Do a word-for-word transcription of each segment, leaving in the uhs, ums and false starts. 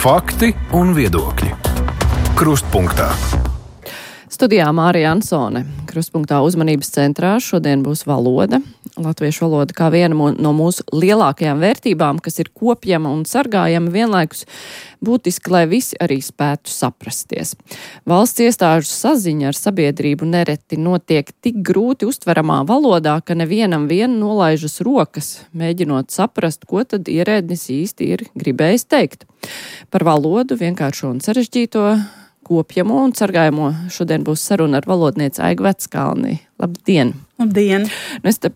Fakti un viedokļi. Krustpunktā. Studijā Mārija Ansone. Krustpunktā uzmanības centrā šodien būs valoda. Latviešu valoda kā viena no mūsu lielākajām vērtībām, kas ir kopjama un sargājama vienlaikus, būtiski, lai visi arī spētu saprasties. Valsts iestāžu saziņa ar sabiedrību nereti notiek tik grūti uztveramā valodā, ka nevienam vien nolaižas rokas, mēģinot saprast, ko tad ierēdnis īsti ir gribējis teikt. Par valodu, vienkāršo un sarežģīto, kopjamo un sargājamo šodien būs saruna ar valodnieci Aigu Veckalni. Labdien! Labdien! Nu, es te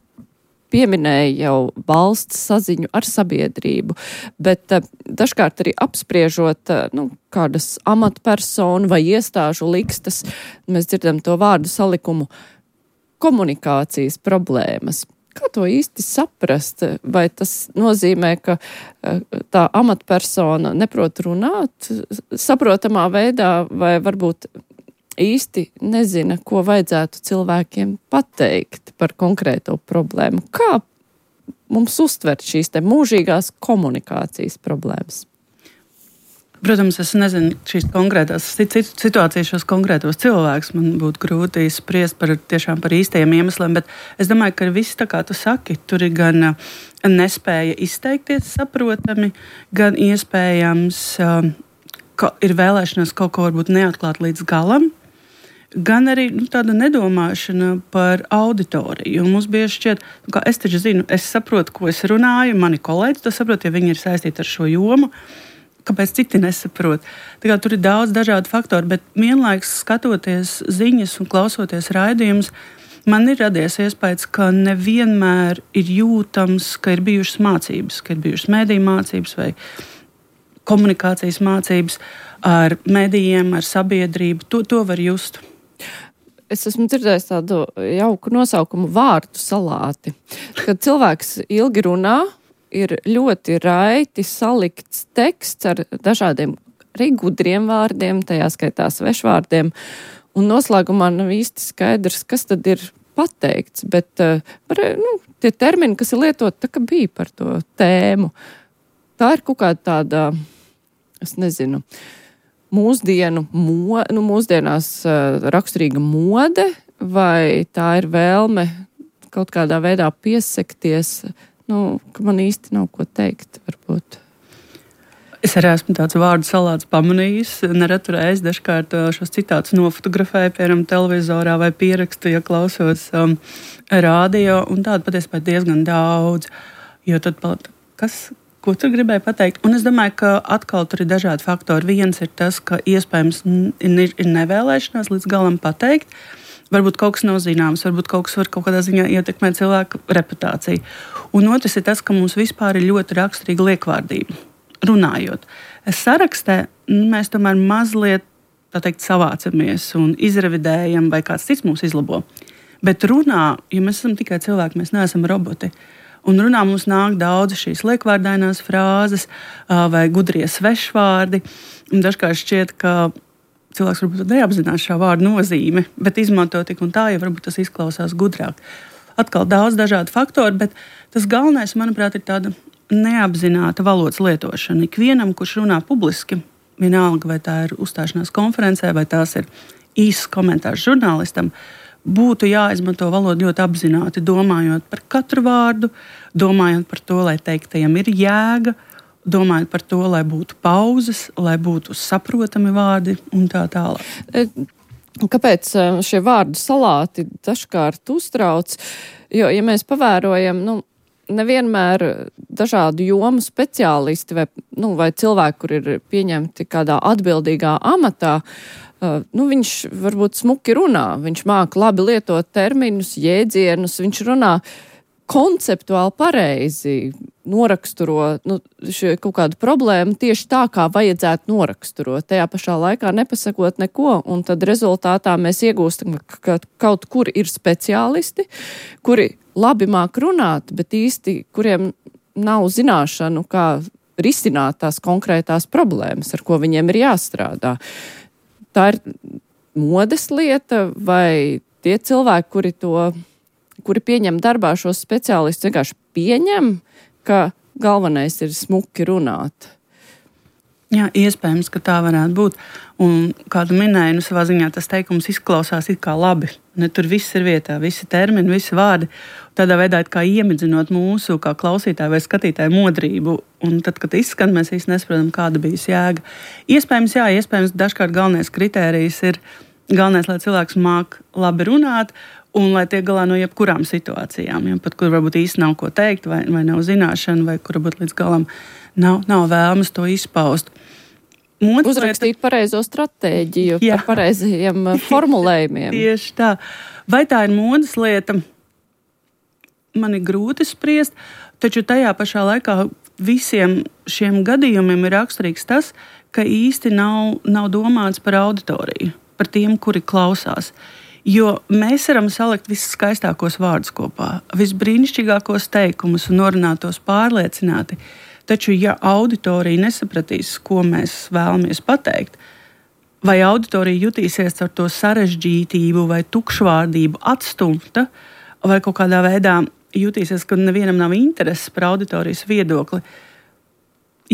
pieminēju jau valsts saziņu ar sabiedrību, bet uh, dažkārt arī apspriežot uh, nu, kādas amatpersonu vai iestāžu likstas, mēs dzirdam to vārdu salikumu komunikācijas problēmas. Kā to īsti saprast? Vai tas nozīmē, ka tā amatpersona neprot runāt saprotamā veidā, vai varbūt īsti nezina, ko vajadzētu cilvēkiem pateikt par konkrēto problēmu? Kā mums uztvert šīs te mūžīgās komunikācijas problēmas? Protams, es nezinu šīs konkrētās situācijas, šos konkrētos cilvēkus. Man būtu grūti spriest par, tiešām par īstajiem iemesliem, bet es domāju, ka viss tā kā tu saki, tur ir gan nespēja izteikties saprotami, gan iespējams ka ir vēlēšanās kaut ko varbūt neatklāt līdz galam, gan arī nu, tāda nedomāšana par auditoriju. Mums bieži šķiet, nu, kā es taču zinu, es saprotu, ko es runāju, mani kolēģi to saprot, ja viņi ir saistīti ar šo jomu. Kāpēc citi nesaprot? Tā kā tur ir daudz dažādu faktoru, bet vienlaikus skatoties ziņas un klausoties raidījumus, man ir radies iespējas, ka nevienmēr ir jūtams, ka ir bijušas mācības, ka ir bijušas mediju mācības vai komunikācijas mācības ar medijiem, ar sabiedrību. To, to var just. Es esmu dzirdējis tādu jauku nosaukumu vārdu salāti, kad cilvēks ilgi runā, ir ļoti raiti salikts teksts ar dažādiem arī gudriem vārdiem, tajā skaitā svešvārdiem, un noslēgumā nav īsti skaidrs, kas tad ir pateikts, bet par, nu, tie termini, kas ir lietot, tā kā bija par to tēmu. Tā ir kaut kāda tāda, es nezinu, mūsdienu, mo, nu, mūsdienās uh, raksturīga mode, vai tā ir vēlme kaut kādā veidā piesekties, nu, ka man īsti nav ko teikt, varbūt. Es arī esmu tāds vārdu salāts pamanījis, nereti reiz dažkārt šos citātus nofotografēju, piemēram, televizorā vai pierakstu, ja klausos um, rādio, un tādu patiesībā diezgan daudz, jo tad, kas, ko tur gribēju pateikt? Un es domāju, ka atkal tur ir dažādi faktori. Viens ir tas, ka iespējams ir, ir nevēlēšanās līdz galam pateikt, varbūt kaut kas nav zināms, varbūt kaut kas var kaut kādā ziņā ietekmēt cilvēku reputāciju. Un otrs ir tas, ka mums vispār ir ļoti raksturīga liekvārdība. Runājot. Sarakstē mēs tomēr mazliet, tā teikt, savācamies un izrevidējam, vai kāds cits mūs izlabo. Bet runā, ja mēs esam tikai cilvēki, mēs neesam roboti. Un runā mums nāk daudz šīs liekvārdainās frāzes vai gudrie svešvārdi. Un dažkārt šķiet, ka cilvēks varbūt neapzinās šā vārda nozīmi, bet izmanto tik un tā, ja varbūt tas izklausās gudrāk. Atkal daudz dažādu faktoru, bet tas galvenais, manuprāt, ir tāda neapzināta valodas lietošana. Ikvienam, kurš runā publiski, vienalga, vai tā ir uzstāšanās konferencē, vai tās ir īsts komentārs žurnālistam, būtu jāizmanto valoda ļoti apzināti, domājot par katru vārdu, domājot par to, lai teiktajam ir jēga, domājot par to, lai būtu pauzes, lai būtu saprotami vārdi un tā tālāk. Kāpēc šie vārdu salāti dažkārt uztrauc? Jo, ja mēs pavērojam, nu, nevienmēr dažādu jomu speciālisti vai, nu, vai cilvēki, kur ir pieņemti kādā atbildīgā amatā, uh, nu, viņš varbūt smuki runā, viņš māca labi lietot terminus, jēdzienus, viņš runā konceptuāli pareizi, noraksturo nu, kaut kādu problēmu tieši tā, kā vajadzētu noraksturot. Tajā pašā laikā nepasakot neko, un tad rezultātā mēs iegūstam, ka kaut kur ir speciālisti, kuri labi māk runāt, bet īsti, kuriem nav zināšanu, kā risināt tās konkrētās problēmas, ar ko viņiem ir jāstrādā. Tā ir modes lieta, vai tie cilvēki, kuri to kuri pieņem darbā šos speciālistus, vienkārši pieņem, ka galvenais ir smuki runāt. Jā, iespējams, ka tā varētu būt. Un, kā tu minēji, nu, savā ziņā tas teikums izklausās it kā labi. Ne, tur viss ir vietā, visi termini, visi vārdi. Tādā veidā kā iemidzinot mūsu kā klausītāju vai skatītāju modrību. Un tad, kad izskan, mēs īsti nesaprotam, kāda bija jēga. Iespējams, jā, iespējams, dažkārt galvenais kritērijs ir galvenais, lai cilvēks māk labi runāt un lai tiek galā no jebkurām situācijām. Ja, pat kur varbūt īsti nav ko teikt, vai, vai nav zināšana, vai kur varbūt līdz galam nav, nav vēlmes to izpaust. Otrs Uzrakstīt lieta... pareizo stratēģiju, jā. Par pareizajiem formulējumiem. Tieši tā. Vai tā ir modes lieta? Man ir grūti spriest, taču tajā pašā laikā visiem šiem gadījumiem ir raksturīgs tas, ka īsti nav, nav domāts par auditoriju, par tiem, kuri klausās. Jo mēs varam salikt visus skaistākos vārdus kopā, visbrīnišķīgākos teikumus un norunātos pārliecināti. Taču, ja auditorija nesapratīs, ko mēs vēlamies pateikt, vai auditorija jutīsies ar to sarežģītību vai tukšvārdību atstumta, vai kaut kādā veidā jutīsies, ka nevienam nav intereses par auditorijas viedokli,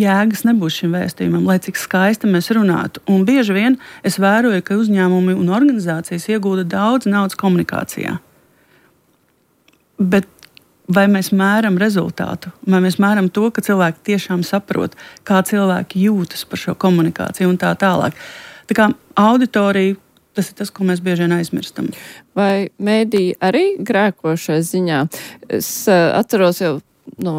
jēgas nebūs šim vēstījumam, lai cik skaisti mēs runātu. Un bieži vien es vēroju, ka uzņēmumi un organizācijas iegūda daudz naudas komunikācijā. Bet vai mēs mēram rezultātu, vai mēs mēram to, ka cilvēki tiešām saprot, kā cilvēki jūtas par šo komunikāciju un tā tālāk. Tā kā auditorija, tas ir tas, ko mēs bieži vien aizmirstam. Vai mēdī arī grēko šai ziņā? Es uh, atceros jau no,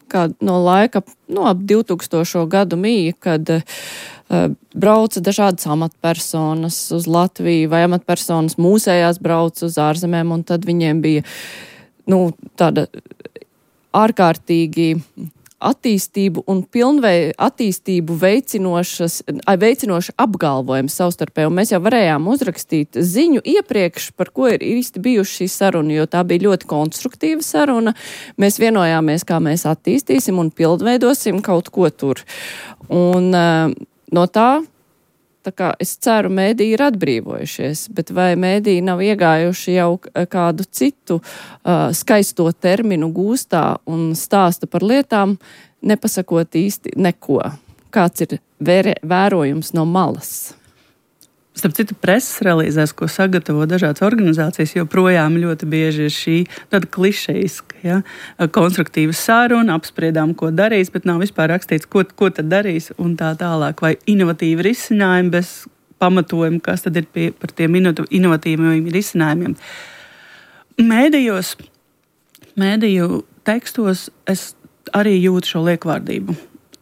kā, no laika, no ap divtūkstošo gadu mīja, kad uh, brauca dažādas amatpersonas uz Latviju, vai amatpersonas mūsējās brauca uz ārzemēm, un tad viņiem bija nu, tāda ārkārtīgi attīstību un pilnvei attīstību veicinošas, veicinoši apgalvojumi savstarpēji. Un mēs jau varējām uzrakstīt ziņu iepriekš, par ko ir īsti bijuši šī saruna, jo tā bija ļoti konstruktīva saruna. Mēs vienojāmies, kā mēs attīstīsim un pilnveidosim kaut ko tur. Un uh, no tā, tā kā es ceru, mēdī ir atbrīvojušies, bet vai mēdī nav iegājuši jau kādu citu uh, skaisto terminu gūstā un stāsta par lietām, nepasakot īsti neko? Kāds ir vērē, vērojums no malas? Starp citu, preses relīzēs, ko sagatavo dažādas organizācijas, joprojām ļoti bieži ir šī tāda klišejiska, ja? Konstruktīva saruna, apspriedām, ko darīs, bet nav vispār rakstīts, ko, ko tad darīs un tā tālāk. Vai inovatīvi risinājumi bez pamatojuma, kas tad ir pie, par tiem inovatīviem risinājumiem. Mēdījos, mēdīju tekstos es arī jūtu šo liekvārdību.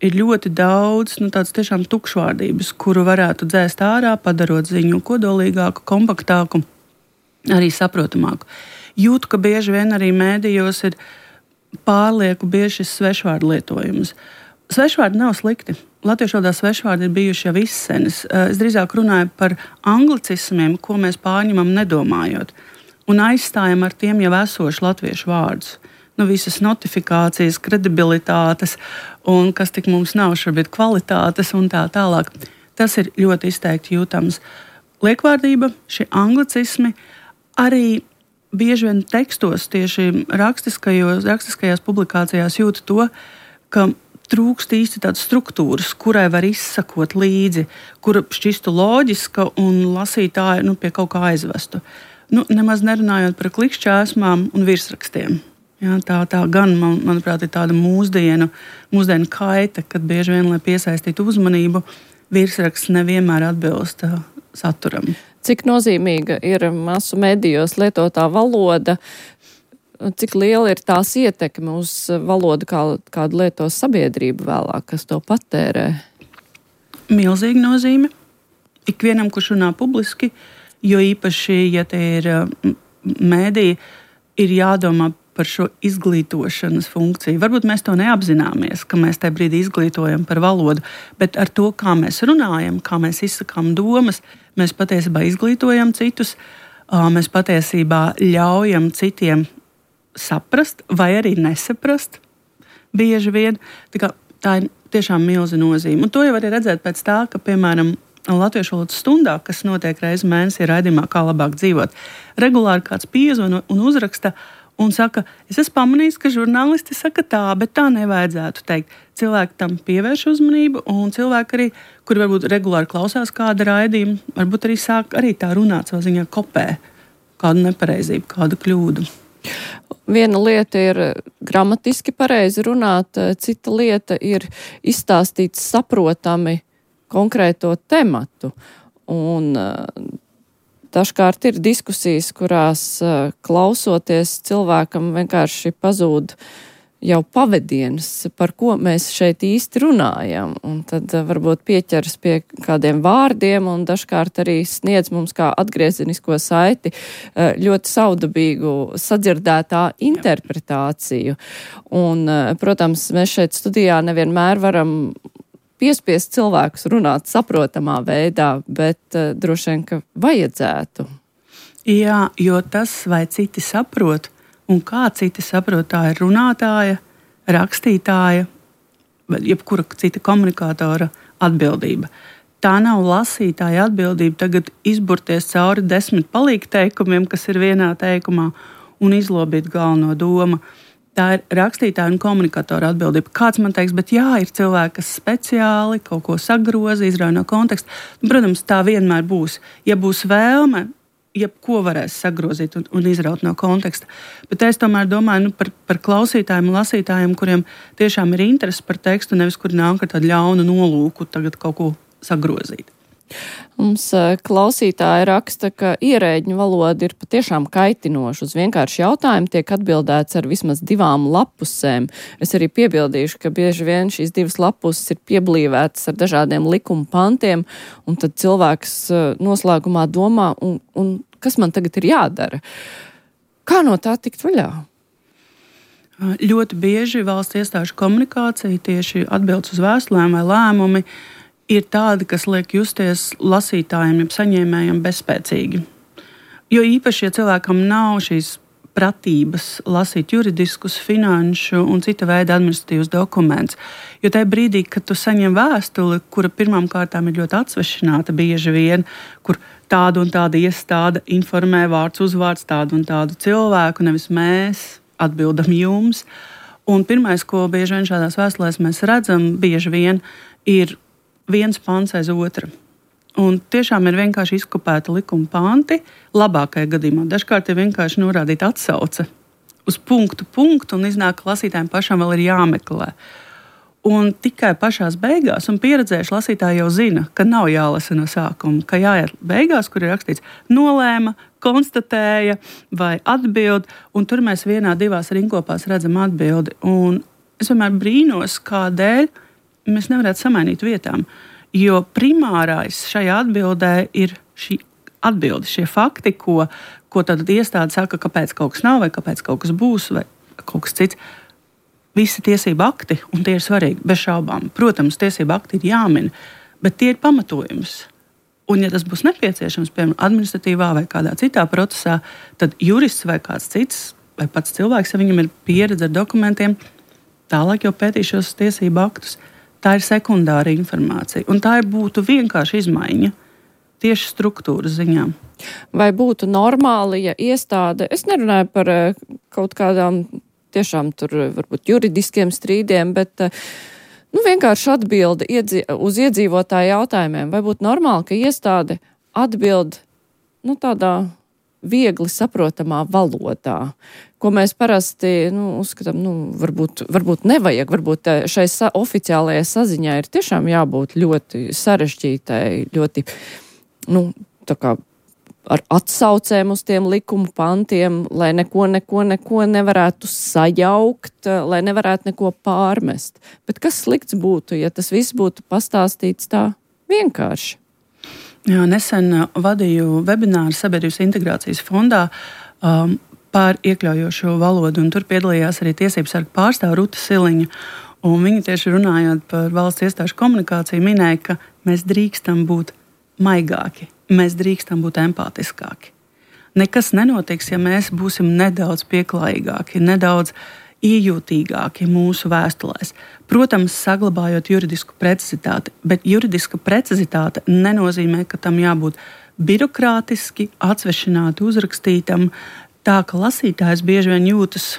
Ir ļoti daudz nu, tādas tiešām tukšvārdības, kuru varētu dzēst ārā, padarot ziņu kodolīgāku, kompaktāku, arī saprotamāku. Jūtu, ka bieži vien arī mēdījos ir pārlieku bieži šis svešvārdu lietojums. Svešvārdi nav slikti. Latviešu valodā svešvārdi ir bijuši jau izsenis. Es drīzāk runāju par anglicismiem, ko mēs pārņemam nedomājot, un aizstājam ar tiem jau esošu latviešu vārdus. Nu, visas notifikācijas, kredibilitātes un kas tik mums nav šobrīd kvalitātes un tā tālāk. Tas ir ļoti izteikti jūtams. Liekvārdība, šie anglicismi, arī bieži vien tekstos, tieši rakstiskajos, rakstiskajās publikācijās jūtu to, ka trūkst īsti tādas struktūras, kurai var izsakot līdzi, kura šķistu loģiska un lasītāju nu, pie kaut kā aizvestu. Nu, nemaz nerunājot par klikšķēsmām un virsrakstiem. Jā, tā, tā gan, man, manuprāt, ir tāda mūsdienu, mūsdienu kaita, kad bieži vien, lai piesaistītu uzmanību, virsraksts nevienmēr atbilst uh, saturam. Cik nozīmīga ir masu medijos lietotā valoda, cik liela ir tās ietekme uz valodu, kā, kādu lietos sabiedrība vēlāk, kas to patērē? Milzīga nozīme. Ikvienam, kurš runā publiski, jo īpaši, ja te ir uh, mēdī, ir jādomā par šo izglītošanas funkciju. Varbūt mēs to neapzināmies, ka mēs tajā brīdī izglītojam par valodu, bet ar to, kā mēs runājam, kā mēs izsakām domas, mēs patiesībā izglītojam citus, mēs patiesībā ļaujam citiem saprast vai arī nesaprast bieži vien. Tā, kā, tā ir tiešām milza nozīme. Un to jau var redzēt pēc tā, ka, piemēram, Latviešu valodas stundā, kas notiek reizi mēnesī raidījumā, kā labāk dzīvot, regulāri kāds piezvana un uzraksta un saka, es esmu pamanījis, ka žurnālisti saka tā, bet tā nevajadzētu teikt. Cilvēki tam pievērš uzmanību, un cilvēki arī, kuri varbūt regulāri klausās kāda raidījuma, varbūt arī sāk arī tā runāt savā ziņā kopē kādu nepareizību, kādu kļūdu. Viena lieta ir gramatiski pareizi runāt, cita lieta ir izstāstīt saprotami konkrēto tematu. Un dažkārt ir diskusijas, kurās klausoties cilvēkam vienkārši pazūd jau pavadienas, par ko mēs šeit īsti runājam. Un tad varbūt pieķeras pie kādiem vārdiem un dažkārt arī sniedz mums kā atgriezenisko saiti ļoti saudabīgu sadzirdētā interpretāciju. Un, protams, mēs šeit studijā nevienmēr varam piespiest cilvēkus runāt saprotamā veidā, bet uh, droši vien, ka vajadzētu. Jā, jo tas, vai citi saprot, un kā citi saprot, tā ir runātāja, rakstītāja, jebkura cita komunikātora atbildība. Tā nav lasītāja atbildība tagad izburties cauri desmit palīgteikumiem, kas ir vienā teikumā, un izlobīt galveno domu. Tā ir rakstītāja un komunikātora atbildība. Kāds man teiks, bet jā, ir cilvēki, kas speciāli kaut ko sagroza, izrauj no konteksta. Protams, tā vienmēr būs. Ja būs vēlme, jebko varēs sagrozīt un, un izraut no konteksta. Bet es tomēr domāju nu, par, par klausītājiem un lasītājiem, kuriem tiešām ir interesi par tekstu, nevis kuri nāk ar tādu ļaunu nolūku tagad kaut ko sagrozīt. Mums klausītāji raksta, ka ierēģņu valoda ir patiešām kaitinoša. Uz vienkārši jautājumu tiek atbildēts ar vismaz divām lapusēm. Es arī piebildīšu, ka bieži vien šīs divas lapuses ir pieblīvētas ar dažādiem likuma pantiem, un tad cilvēks noslēgumā domā, un, un kas man tagad ir jādara? Kā no tā tikt vaļā? Ļoti bieži valsts iestāžu komunikācija, tieši atbildes uz vēstulēm vai lēmumi, ir tādi, kas liek justies lasītājiem, jeb saņēmējiem bezspēcīgi. Jo īpaši, ja cilvēkam nav šīs pratības lasīt juridiskus, finanšu un cita veida administratīvus dokumentus. Jo tajā brīdī, kad tu saņem vēstuli, kura pirmām kārtām ir ļoti atsvešināta bieži vien, kur tāda un tāda iestāde informē vārds uzvārds tādu un tādu cilvēku, nevis mēs atbildam jums. Un pirmais, ko bieži vien šādās vēstulēs mēs redzam, bieži vien ir viens pants aiz otra. Un tiešām ir vienkārši izkopēta likuma panti, labākajā gadījumā. Dažkārt ir vienkārši norādīta atsauce uz punktu, punktu, un iznāk, ka lasītājiem pašam vēl ir jāmeklē. Un tikai pašās beigās, un pieredzējuši lasītāji jau zina, ka nav jālasa no sākuma, ka jāiet beigās, kur ir rakstīts nolēma, konstatēja vai atbild, un tur mēs vienā, divās rinkopās redzam atbildi. Un es vienmēr brīnos, kādēļ mēs nevarētu samainīt vietām, jo primārais šajā atbildē ir šī atbilde, šie fakti, ko, ko tad iestāde saka, kāpēc kaut kas nav, vai kāpēc kaut kas būs, vai kaut kas cits. Visi tiesību akti, un tie ir svarīgi, bez šaubām. Protams, tiesību akti ir jāmin, bet tie ir pamatojums. Un, ja tas būs nepieciešams, piemēram, administratīvā vai kādā citā procesā, tad jurists vai kāds cits, vai pats cilvēks, ja viņam ir pieredze ar dokumentiem, tālāk jau pētīs šos tiesību aktus. Tā ir sekundāra informācija, un tā ir būtu vienkārši izmaiņa tieši struktūras ziņā. Vai būtu normāli, ja iestāde, es nerunāju par kaut kādām tiešām tur varbūt juridiskiem strīdiem, bet nu, vienkārši atbildi iedzi, uz iedzīvotāju jautājumiem, vai būtu normāli, ka iestāde atbild nu, tādā viegli saprotamā valodā, ko mēs parasti nu, uzskatām, nu, varbūt, varbūt nevajag, varbūt šai sa- oficiālajai saziņai ir tiešām jābūt ļoti sarežģītai, ļoti, nu, tā kā ar atsaucēm uz tiem likuma pantiem, lai neko, neko, neko nevarētu sajaukt, lai nevarētu neko pārmest. Bet kas slikts būtu, ja tas viss būtu pastāstīts tā vienkārši? Jā, nesen vadīju webināru Sabiedrības integrācijas fondā um, par iekļaujošo valodu, un tur piedalījās arī tiesību sarga pārstāve Ruta Siliņa. Un viņa tieši runājot par valsts iestāžu komunikāciju minēja, ka mēs drīkstam būt maigāki, mēs drīkstam būt empātiskāki. Nekas nenotiks, ja mēs būsim nedaudz pieklājīgāki, nedaudz iejūtīgāki mūsu vēstulēs. Protams, saglabājot juridisku precizitāti, bet juridiska precizitāte nenozīmē, ka tam jābūt birokrātiski, atsvešināti uzrakstītam, tā, ka lasītājs bieži vien jūtas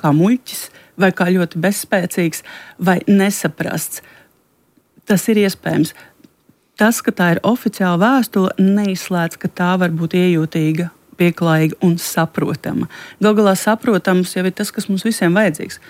kā muļķis, vai kā ļoti bezspēcīgs, vai nesaprasts. Tas ir iespējams. Tas, ka tā ir oficiāla vēstule, neizslēdz, ka tā var būt iejūtīga, pieklājīga un saprotama. Galu galā saprotams jau ir tas, kas mums visiem vajadzīgs.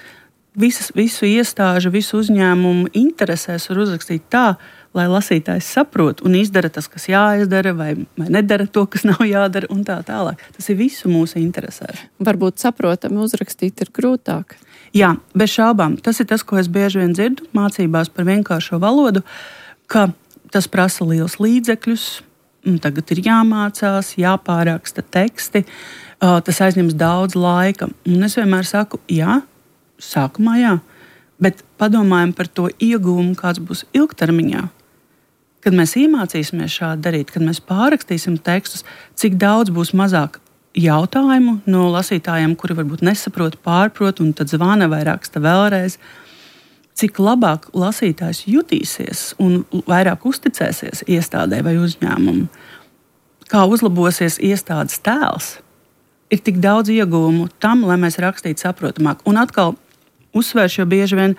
Visas, visu iestāžu, visu uzņēmumu interesēs var uzrakstīt tā, lai lasītājs saprot un izdara tas, kas jāizdara, vai, vai nedara to, kas nav jādara, un tā tālāk. Tas ir visu mūsu interesēs. Varbūt saprotami uzrakstīt ir grūtāk. Jā, bez šaubām. Tas ir tas, ko es bieži vien dzirdu mācībās par vienkāršo valodu, ka tas prasa liels līdzekļus, tagad ir jāmācās, jāpāraksta teksti, tas aizņems daudz laika. Un es vienmēr saku, jā, sākumā jā, bet padomājam par to iegūmu, kāds būs ilgtermiņā. Kad mēs iemācīsimies šādi darīt, kad mēs pārrakstīsim tekstus, cik daudz būs mazāk jautājumu no lasītājiem, kuri varbūt nesaprot, pārprot un tad zvana vai raksta vēlreiz, cik labāk lasītājs jutīsies un vairāk uzticēsies iestādē vai uzņēmumu, kā uzlabosies iestādes tēls. Ir tik daudz ieguvumu tam, lai mēs rakstītu saprotamāk. Un atkal uzsvēršu, jo bieži vien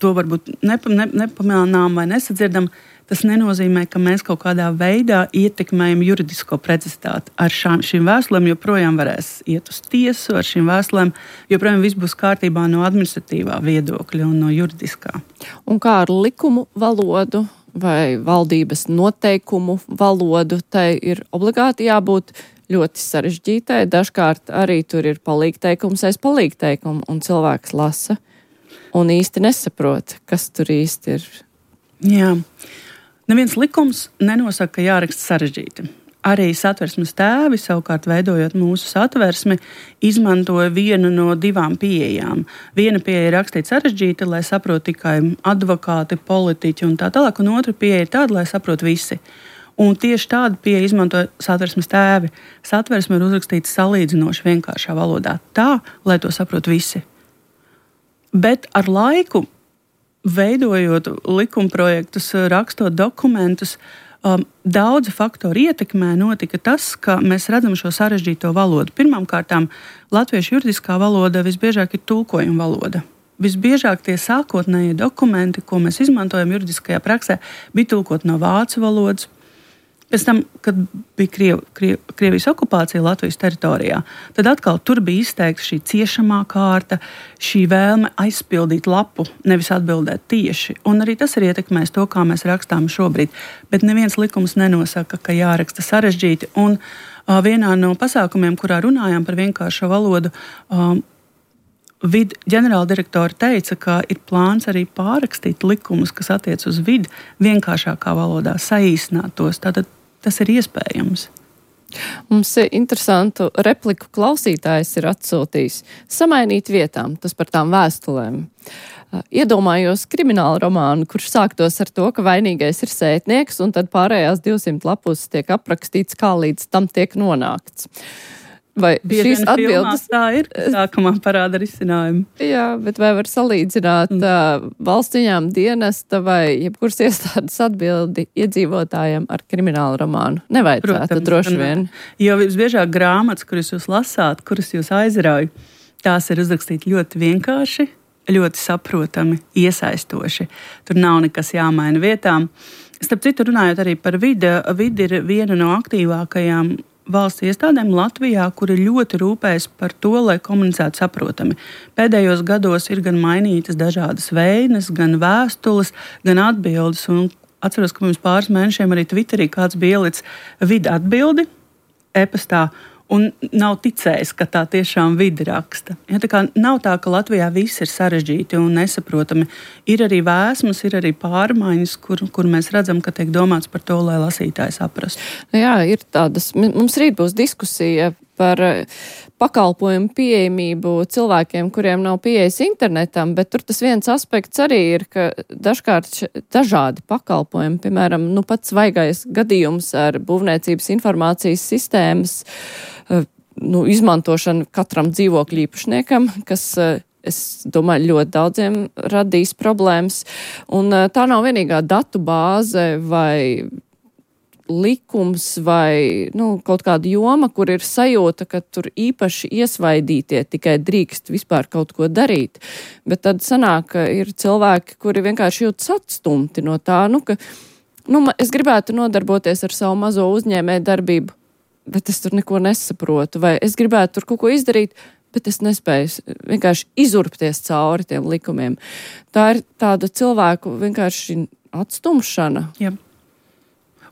to varbūt nepa, ne, nepamanām vai nesadzirdam. Tas nenozīmē, ka mēs kaut kādā veidā ietekmējam juridisko precizitāti. Ar šām, šīm vēstulēm joprojām varēs iet uz tiesu, ar šīm vēstulēm joprojām viss būs kārtībā no administratīvā viedokļa un no juridiskā. Un kā ar likumu valodu vai valdības noteikumu valodu, tai ir obligāti jābūt ļoti sarežģītai. Dažkārt arī tur ir palīgteikums aiz palīgteikumu, un cilvēks lasa un īsti nesaprot, kas tur īsti ir. Jā. Neviens likums nenosaka, ka jāraksta sarežģīti. Arī satversmes tēvi, savukārt veidojot mūsu satversmi, izmantoja vienu no divām pieejām. Viena pieeja ir rakstīt sarežģīti, lai saprot tikai advokāti, politiķi un tā tālāk, un otra pieeja ir tāda, lai saprot visi. Un tieši tādu pieeju izmantoja satversmes tēvi. Satversme ir uzrakstīta salīdzinoši vienkāršā valodā, tā, lai to saprot visi. Bet ar laiku, veidojot likumprojektus, rakstot dokumentus, um, daudzi faktori ietekmē notika tas, ka mēs redzam šo sarežģīto valodu. Pirmkārtām, latviešu juridiskā valoda visbiežāk ir tulkojuma valoda. Visbiežāk tie sākotnējie dokumenti, ko mēs izmantojam juridiskajā praksē, bija tulkoti no vācu valodas. Pēc tam, kad bija Kriev, Kriev, Krievijas okupācija Latvijas teritorijā, tad atkal tur bija izteikta šī ciešamā kārta, šī vēlme aizpildīt lapu, nevis atbildēt tieši. Un arī tas ir ietekmējis to, kā mēs rakstām šobrīd. Bet neviens likums nenosaka, ka jāraksta sarežģīti. Un uh, vienā no pasākumiem, kurā runājām par vienkāršo valodu, uh, Vid ģenerāldirektori teica, ka ir plāns arī pārrakstīt likumus, kas attiec uz vidi vienkāršākā valodā, saīsināt tos. Tātad tas ir iespējams. Mums interesantu repliku klausītājs ir atsūtījis. Samainīt vietām, tas par tām vēstulēm. Iedomājos kriminālu romānu, kurš sāktos ar to, ka vainīgais ir sētnieks, un tad pārējās divsimt lapus tiek aprakstīts, kā līdz tam tiek nonākts. Vai Bieži šīs atbildes tā ir, sākumā parāda risinājumu. Jā, bet vai var salīdzināt mm. uh, valsts ieņēmuma dienesta vai jebkuras iestādes atbildi iedzīvotājiem ar kriminālu romānu? Nevajadzētu, Protams, droši vien. Jo visbiežāk grāmatas, kuras jūs lasāt, kuras jūs aizrauj, tās ir uzrakstīt ļoti vienkārši, ļoti saprotami, iesaistoši. Tur nav nekas jāmaina vietām. Starp citu, runājot arī par vidi, vidi ir viena no aktīvākajām valsts iestādēm Latvijā, kuri ļoti rūpējas par to, lai komunicētu saprotami. Pēdējos gados ir gan mainītas dažādas veinas, gan vēstules, gan atbildes. Un atceros, ka pirms pāris mēnešiem arī Twitterī kāds bija ielicis vidi atbildi e-pastā un nav ticējis, ka tā tiešām vidi raksta. Ja, tā kā nav tā, ka Latvijā viss ir sarežģīti un nesaprotami. Ir arī vēsmas, ir arī pārmaiņas, kur, kur mēs redzam, ka tiek domāts par to, lai lasītāji saprastu. Jā, ir tādas. Mums rīt būs diskusija par pakalpojumu pieejamību cilvēkiem, kuriem nav pieejas internetam, bet tur tas viens aspekts arī ir, ka dažkārt dažādi pakalpojumi, piemēram, nu pats svaigais gadījums ar būvniecības informācijas sistēmas nu, izmantošanu katram dzīvokļu īpašniekam, kas, es domāju, ļoti daudziem radīs problēmas. Un tā nav vienīgā datu bāze vai likums vai nu, kaut kāda joma, kur ir sajūta, ka tur īpaši iesvaidītie tikai drīkst vispār kaut ko darīt. Bet tad sanāk, ka ir cilvēki, kuri vienkārši jūtas atstumti no tā, nu, ka nu, es gribētu nodarboties ar savu mazo uzņēmēju darbību, bet es tur neko nesaprotu, vai es gribētu tur kaut ko izdarīt, bet es nespēju vienkārši izurpties cauri tiem likumiem. Tā ir tāda cilvēku vienkārši atstumšana. Jā.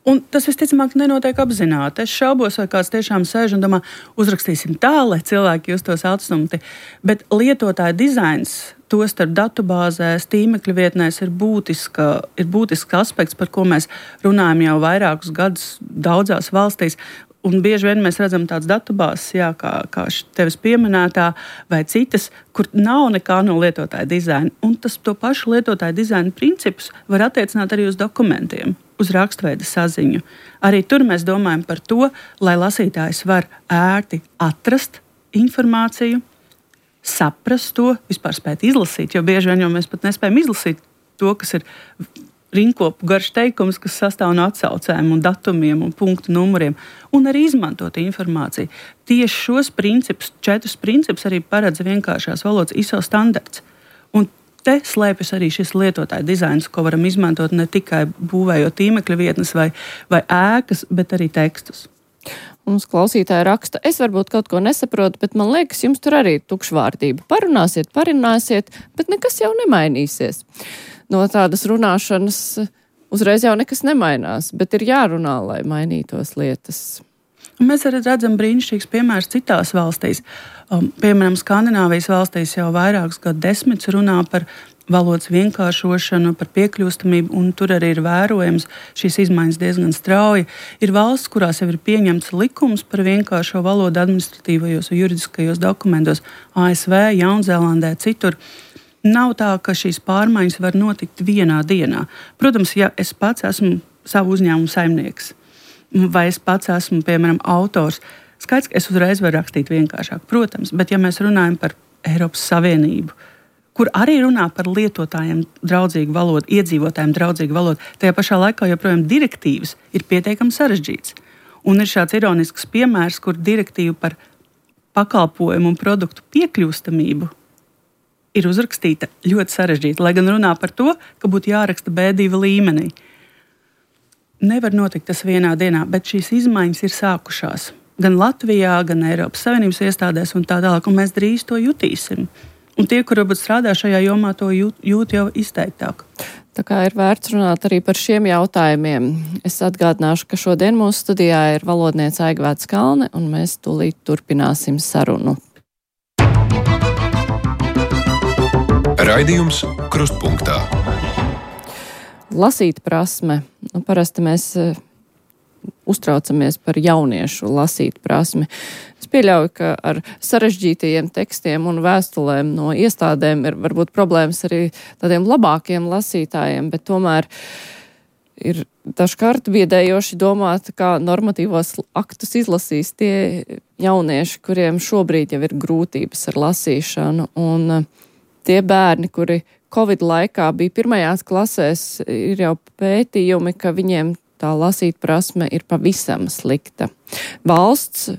Un tas visticamāk nenotiek apzināti. Es šaubos, vai kāds tiešām sēž un domā, uzrakstīsim tā, lai cilvēki justos atstumti. Bet lietotāja dizains, to starp datubāzēs, tīmekļa vietnēs, ir, būtiska, ir būtisks aspekts, par ko mēs runājam jau vairākus gadus daudzās valstīs. Un bieži vien mēs redzam tādas datubāzes, jā, kā, kā tevis pieminētā, vai citas, kur nav nekā no lietotāja dizaina. Un tas to pašu lietotāja dizaina principus var attiecināt arī uz dokumentiem, uz rakstveida saziņu. Arī tur mēs domājam par to, lai lasītājs var ērti atrast informāciju, saprast to, vispār spēt izlasīt, jo bieži vien jau mēs pat nespējam izlasīt to, kas ir rinkopu garš teikums, kas sastāv no atsaucēm un datumiem un punktu numuriem, un arī izmantot informāciju. Tieši šos principus, četrus principus arī paredz vienkāršās valodas I S O standarts. Un te slēpjas arī šis lietotāja dizains, ko varam izmantot ne tikai būvējot tīmekļa vietnes vai, vai ēkas, bet arī tekstus. Mums klausītāji raksta, es varbūt kaut ko nesaprotu, bet man liekas, jums tur arī ir tukšvārdība. Parunāsiet, parunāsiet, bet nekas jau nemainīsies. No tādas runāšanas uzreiz jau nekas nemainās, bet ir jārunā, lai mainītos lietas. Un mēs arī redzam brīnišķīgs piemērs citās valstīs. Um, piemēram, Skandināvijas valstīs jau vairākus gadu desmitus runā par valodas vienkāršošanu, par piekļūstamību, un tur arī ir vērojams šīs izmaiņas diezgan strauji. Ir valsts, kurās jau ir pieņemts likums par vienkāršo valodu administratīvajos un juridiskajos dokumentos, A S V, Jaunzēlandē, citur. Nav tā, ka šīs pārmaiņas var notikt vienā dienā. Protams, ja es pats esmu savu uzņēmumu saimnieks, vai es pats esmu, piemēram, autors, skaidrs, ka es uzreiz varu rakstīt vienkāršāk, protams, bet ja mēs runājam par Eiropas Savienību, kur arī runā par lietotājiem draudzīgu valodu, iedzīvotājiem draudzīgu valodu, tajā pašā laikā joprojām direktīvas ir pietiekami sarežģītas. Un ir šāds ironisks piemērs, kur direktīva par pakalpojumu un produktu piekļūstamību ir uzrakstīta ļoti sarežģīta, lai gan runā par to, ka būtu jāraksta B divi līmenī. Nevar notikt tas vienā dienā, bet šīs izmaiņas ir sākušās. Gan Latvijā, gan Eiropas Savienības iestādēs un tā tālāk, un mēs drīz to jutīsim. Un tie, kur varbūt strādā šajā jomā, to jūt, jūt jau izteiktāk. Tā kā ir vērts runāt arī par šiem jautājumiem. Es atgādināšu, ka šodien mūsu studijā ir valodniece Aigvēta Skalne, un mēs tūlīt turpināsim sarunu. Raidījums Krustpunktā. Lasīt prasme. Nu, parasti mēs uh, uztraucamies par jauniešu lasīt prasmi. Es pieļauju, ka ar sarežģītajiem tekstiem un vēstulēm no iestādēm ir varbūt problēmas arī tādiem labākiem lasītājiem, bet tomēr ir dažkārt biedējoši domāt, kā normatīvos aktus izlasīs tie jaunieši, kuriem šobrīd jau ir grūtības ar lasīšanu. Un uh, tie bērni, kuri Covid laikā bija pirmajās klasēs, ir jau pētījumi, ka viņiem tā lasīt prasme ir pavisam slikta. Valsts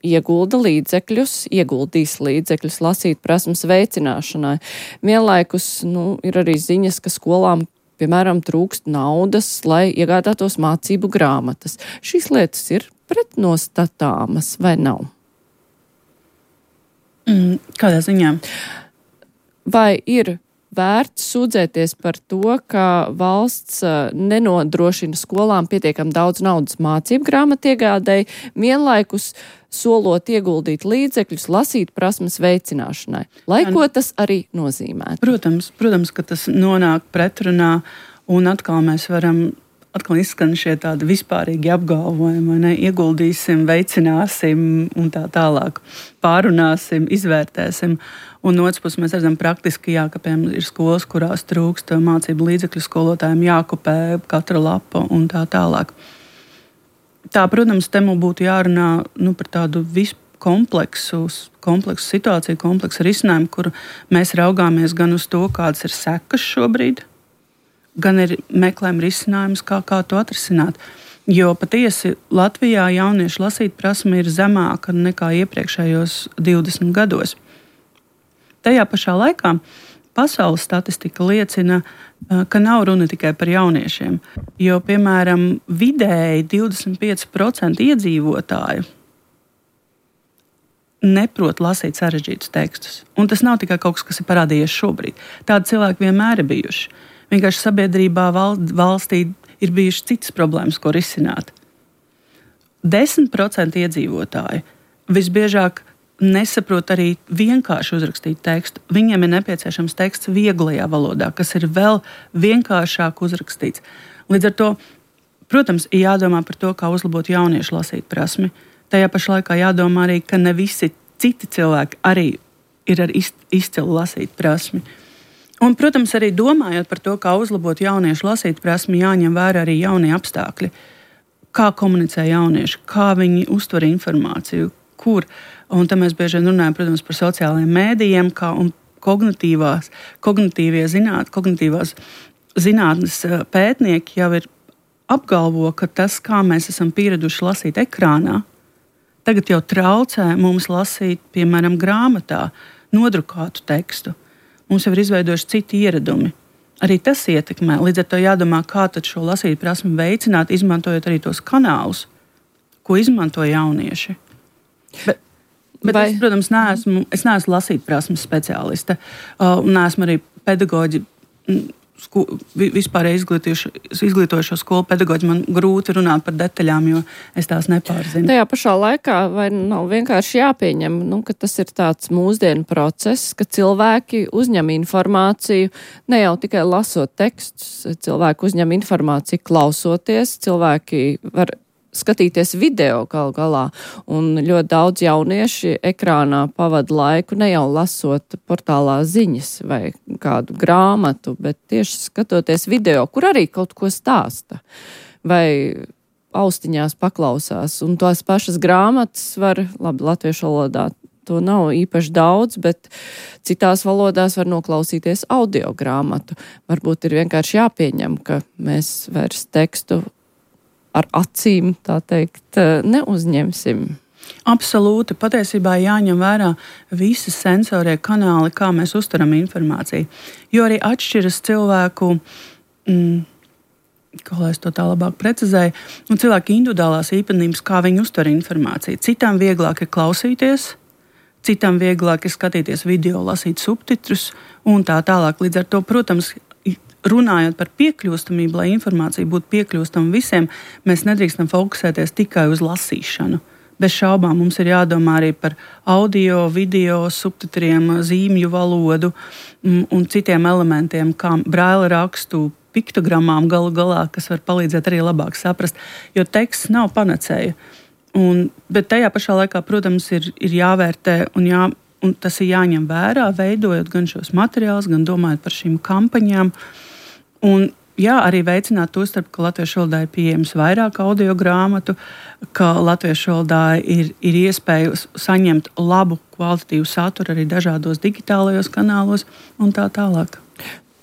iegulda līdzekļus, ieguldīs līdzekļus lasīt prasmes veicināšanai. Vienlaikus nu, ir arī ziņas, ka skolām, piemēram, trūkst naudas, lai iegādātos mācību grāmatas. Šīs lietas ir pretnostatāmas vai nav? Mm, kādā ziņā? Vai ir vērts sūdzēties par to, ka valsts nenodrošina skolām pietiekam daudz naudas mācību grāmatu iegādēji, vienlaikus solot ieguldīt līdzekļus lasīt prasmes veicināšanai, lai ko tas arī nozīmē? Protams, protams, ka tas nonāk pretrunā, un atkal mēs varam, atkal izskan šie tādi vispārīgi apgalvojumi, vai ne, ieguldīsim, veicināsim un tā tālāk, pārunāsim, izvērtēsim. Un no otras puses mēs redzam praktiski, jā, ka piemēram ir skolas, kurās trūkst mācību līdzekļu, skolotājiem jākopē katra lapa un tā tālāk. Tā, protams, te mums būtu jārunā nu, par tādu kompleksu, kompleksu situāciju, kompleksu risinājumu, kur mēs raugāmies gan uz to, kādas ir sekas šobrīd, gan ir meklējam risinājumus, kā, kā to atrisināt. Jo patiesi Latvijā jauniešu lasīt prasme ir zemāka nekā iepriekšējos divdesmit gados. Tajā pašā laikā pasaules statistika liecina, ka nav runa tikai par jauniešiem, jo, piemēram, vidēji divdesmit pieci procenti iedzīvotāju neprot lasīt sarežģītus tekstus. Un tas nav tikai kaut kas, kas ir parādījies šobrīd. Tādi cilvēki vienmēr ir bijuši. Vienkārši sabiedrībā, valstī ir bijušas citas problēmas, ko risināt. desmit procenti iedzīvotāji visbiežāk nesaprot arī vienkārši uzrakstīt tekstu. Viņiem ir nepieciešams teksts vieglajā valodā, kas ir vēl vienkāršāk uzrakstīts. Līdz ar to, protams, ir jādomā par to, kā uzlabot jauniešu lasīt prasmi. Tajā pašā laikā jādomā arī, ka ne visi citi cilvēki arī ir ar izcilu lasīt prasmi. Un, protams, arī domājot par to, kā uzlabot jauniešu lasīt prasmi, jāņem vērā arī jaunie apstākļi. Kā komunicē jaunieši, kā viņi uztver informāciju, kur. Un tam mēs bieži vien runājam, protams, par sociālajiem mēdījiem, kā un kognitīvās, kognitīvie zināt, kognitīvās zinātnes pētnieki jau ir apgalvo, ka tas, kā mēs esam pieraduši lasīt ekrānā, tagad jau traucē mums lasīt, piemēram, grāmatā nodrukātu tekstu. Mums jau ir izveidojuši citi ieradumi. Arī tas ietekmē. Līdz ar to jādomā, kā tad šo lasīt prasmi veicināt, izmantojot arī tos kanālus, ko izmanto jaunieši. Bet, bet Vai? es, protams, neesmu, es neesmu lasīt prasmes speciāliste, uh, un neesmu arī pedagoģi, sku, vispār izglītojušo skolu pedagoģi. Man grūti runāt par detaļām, jo es tās nepārzinu. Tajā pašā laikā vai nav vienkārši jāpieņem, nu, ka tas ir tāds mūsdienu process, ka cilvēki uzņem informāciju, ne jau tikai lasot tekstus, cilvēki uzņem informāciju klausoties, cilvēki var skatīties video galu galā, un ļoti daudz jaunieši ekrānā pavada laiku ne jau lasot portālā ziņas vai kādu grāmatu, bet tieši skatoties video, kur arī kaut ko stāsta vai austiņās paklausās. Un tās pašas grāmatas var, labi, latviešu valodā to nav īpaši daudz, bet citās valodās var noklausīties audio grāmatu. Varbūt ir vienkārši jāpieņem, ka mēs vairs tekstu ar acīm, tā teikt, neuzņemsim. Absolūti. Patiesībā jāņem vērā visi sensorie kanāli, kā mēs uztveram informāciju. Jo arī atšķiras cilvēku, mm, kā lai es to tā labāk precizēju, un cilvēku individuālās īpatnības, kā viņi uztver informāciju. Citam vieglāk ir klausīties, citam vieglāk ir skatīties video, lasīt subtitrus un tā tālāk. Līdz ar to, protams, runājot par piekļūstamību, lai informācija būtu piekļūstama visiem, mēs nedrīkstam fokusēties tikai uz lasīšanu. Bez šaubām mums ir jādomā arī par audio, video, subtitriem, zīmju valodu un citiem elementiem, kā braila rakstu, piktogramām galu galā, kas var palīdzēt arī labāk saprast, jo teksts nav panacēja. Un, bet tajā pašā laikā, protams, ir, ir jāvērtē un, jā, un tas ir jāņem vērā, veidojot gan šos materiālus, gan domājot par šīm kampaņām. Un, jā, arī veicināt to starp, ka latviešu valodā ir pieejams vairāk audio grāmatu, ka latviešu valodā ir, ir iespēja saņemt labu kvalitatīvu saturu arī dažādos digitālajos kanālos un tā tālāk.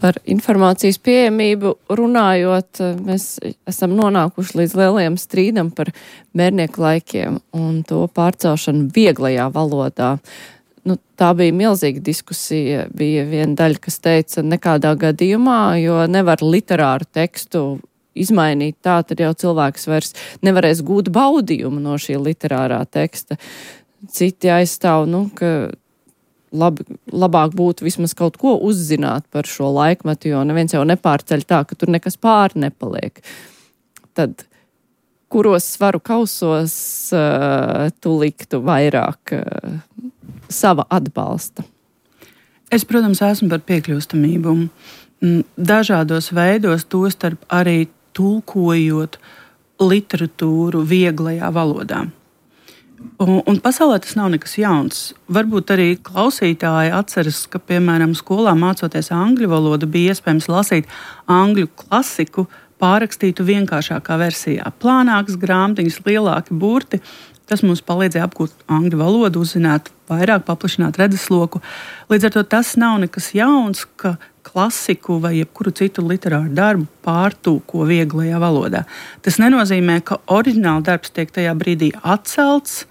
Par informācijas pieejamību runājot, mēs esam nonākuši līdz lielajam strīdam par bērnieku laikiem un to pārcelšanu vieglajā valodā. Nu, tā bija milzīga diskusija. Bija viena daļa, kas teica, nekādā gadījumā, jo nevar literāru tekstu izmainīt tā, tad jau cilvēks vairs nevarēs gūt baudījumu no šī literārā teksta. Citi aizstāv, nu, ka labi, labāk būtu vismaz kaut ko uzzināt par šo laikmetu, jo neviens jau nepārceļ tā, ka tur nekas pāri nepaliek. Tad kuros svaru kausos uh, tu liktu vairāk uh, sava atbalsta? Es, protams, esmu par piekļūstamību. Dažādos veidos, tostarp arī tulkojot literatūru vieglajā valodā. Un, un pasaulē tas nav nekas jauns. Varbūt arī klausītāji atceras, ka, piemēram, skolā mācoties angļu valodu, bija iespējams lasīt angļu klasiku pārrakstītu vienkāršākā versijā. Plānākas grāmatiņas, lielāki burti. Tas mums palīdzēja apgūt angļu valodu, uzzināt vairāk, paplašināt redzesloku. Līdz ar to tas nav nekas jauns, ka klasiku vai jebkuru citu literāru darbu pārtūko vieglajā valodā. Tas nenozīmē, ka oriģināla darbs tiek tajā brīdī atcelts,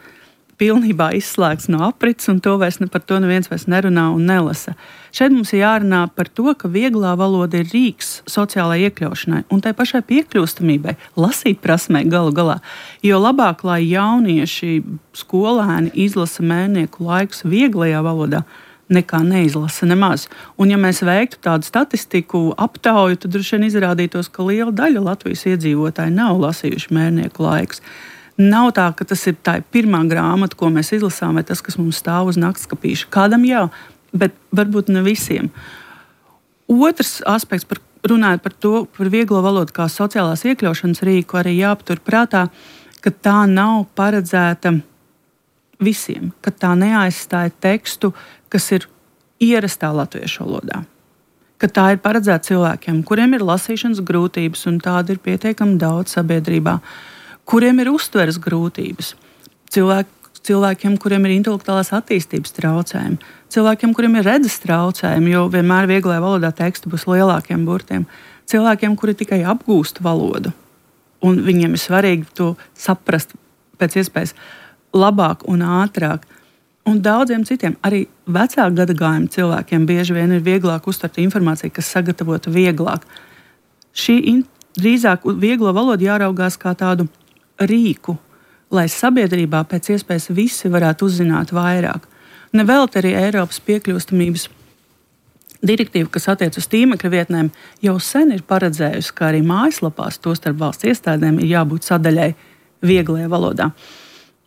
pilnībā izslēgts no aprits, un to vairs, par to neviens vairs nerunā un nelasa. Šeit mums ir jārunā par to, ka vieglā valoda ir rīks sociālai iekļaušanai un tai pašai piekļūstamībai, lasīt prasmē galu galā. Jo labāk, lai jaunieši, skolēni izlasa Mērnieku laikus vieglajā valodā, nekā neizlasa nemaz. Un ja mēs veiktu tādu statistiku aptauju, tad droši vien izrādītos, ka liela daļa Latvijas iedzīvotāji nav lasījuši Mērnieku laikus. Nav tā, ka tas ir tā pirmā grāmata, ko mēs izlasām, vai tas, kas mums stāv uz naktskapīša. Kādam jā, bet varbūt ne visiem. Otrs aspekts, par, runājot par to, par vieglo valodu kā sociālās iekļaušanas rīku, arī jāpatur prātā, ka tā nav paredzēta visiem, ka tā neaizstāja tekstu, kas ir ierastā latviešu valodā. Ka tā ir paredzēta cilvēkiem, kuriem ir lasīšanas grūtības, un tāda ir pietiekami daudz sabiedrībā, kuriem ir uztveres grūtības, cilvēki, cilvēkiem, kuriem ir intelektuālās attīstības traucējumi, cilvēkiem, kuriem ir redzes traucējumi, jo vienmēr vieglajā valodā teksti būs lielākiem burtiem, cilvēkiem, kuri tikai apgūst valodu, un viņiem ir svarīgi to saprast pēc iespējas labāk un ātrāk. Un daudziem citiem, arī vecāku gadagājumu cilvēkiem bieži vien ir vieglāk uztvert informāciju, kas sagatavota vieglāk. Šī in, drīzāk vieglo valodu jāraugās kā tādu rīku, lai sabiedrībā pēc iespējas visi varētu uzzināt vairāk. Nevelti arī Eiropas piekļūstamības direktīva, kas attiec uz tīmekļa vietnēm, jau sen ir paredzējusi, ka arī mājaslapās, tostarp valsts iestādēm, ir jābūt sadaļai vieglajā valodā.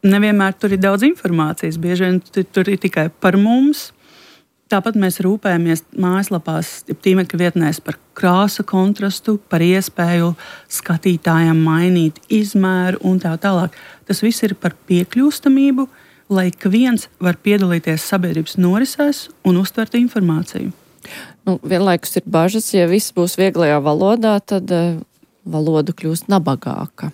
Nevienmēr tur ir daudz informācijas, bieži vien tur ir tikai par mums. Tāpat mēs rūpējamies mājaslapās, tīmekļa vietnēs par krāsa kontrastu, par iespēju skatītājiem mainīt izmēru un tā tālāk. Tas viss ir par piekļūstamību, lai ik viens var piedalīties sabiedrības norisēs un uztvert informāciju. Nu, vienlaikus ir bažas, ja viss būs vieglajā valodā, tad uh, valoda kļūst nabagāka.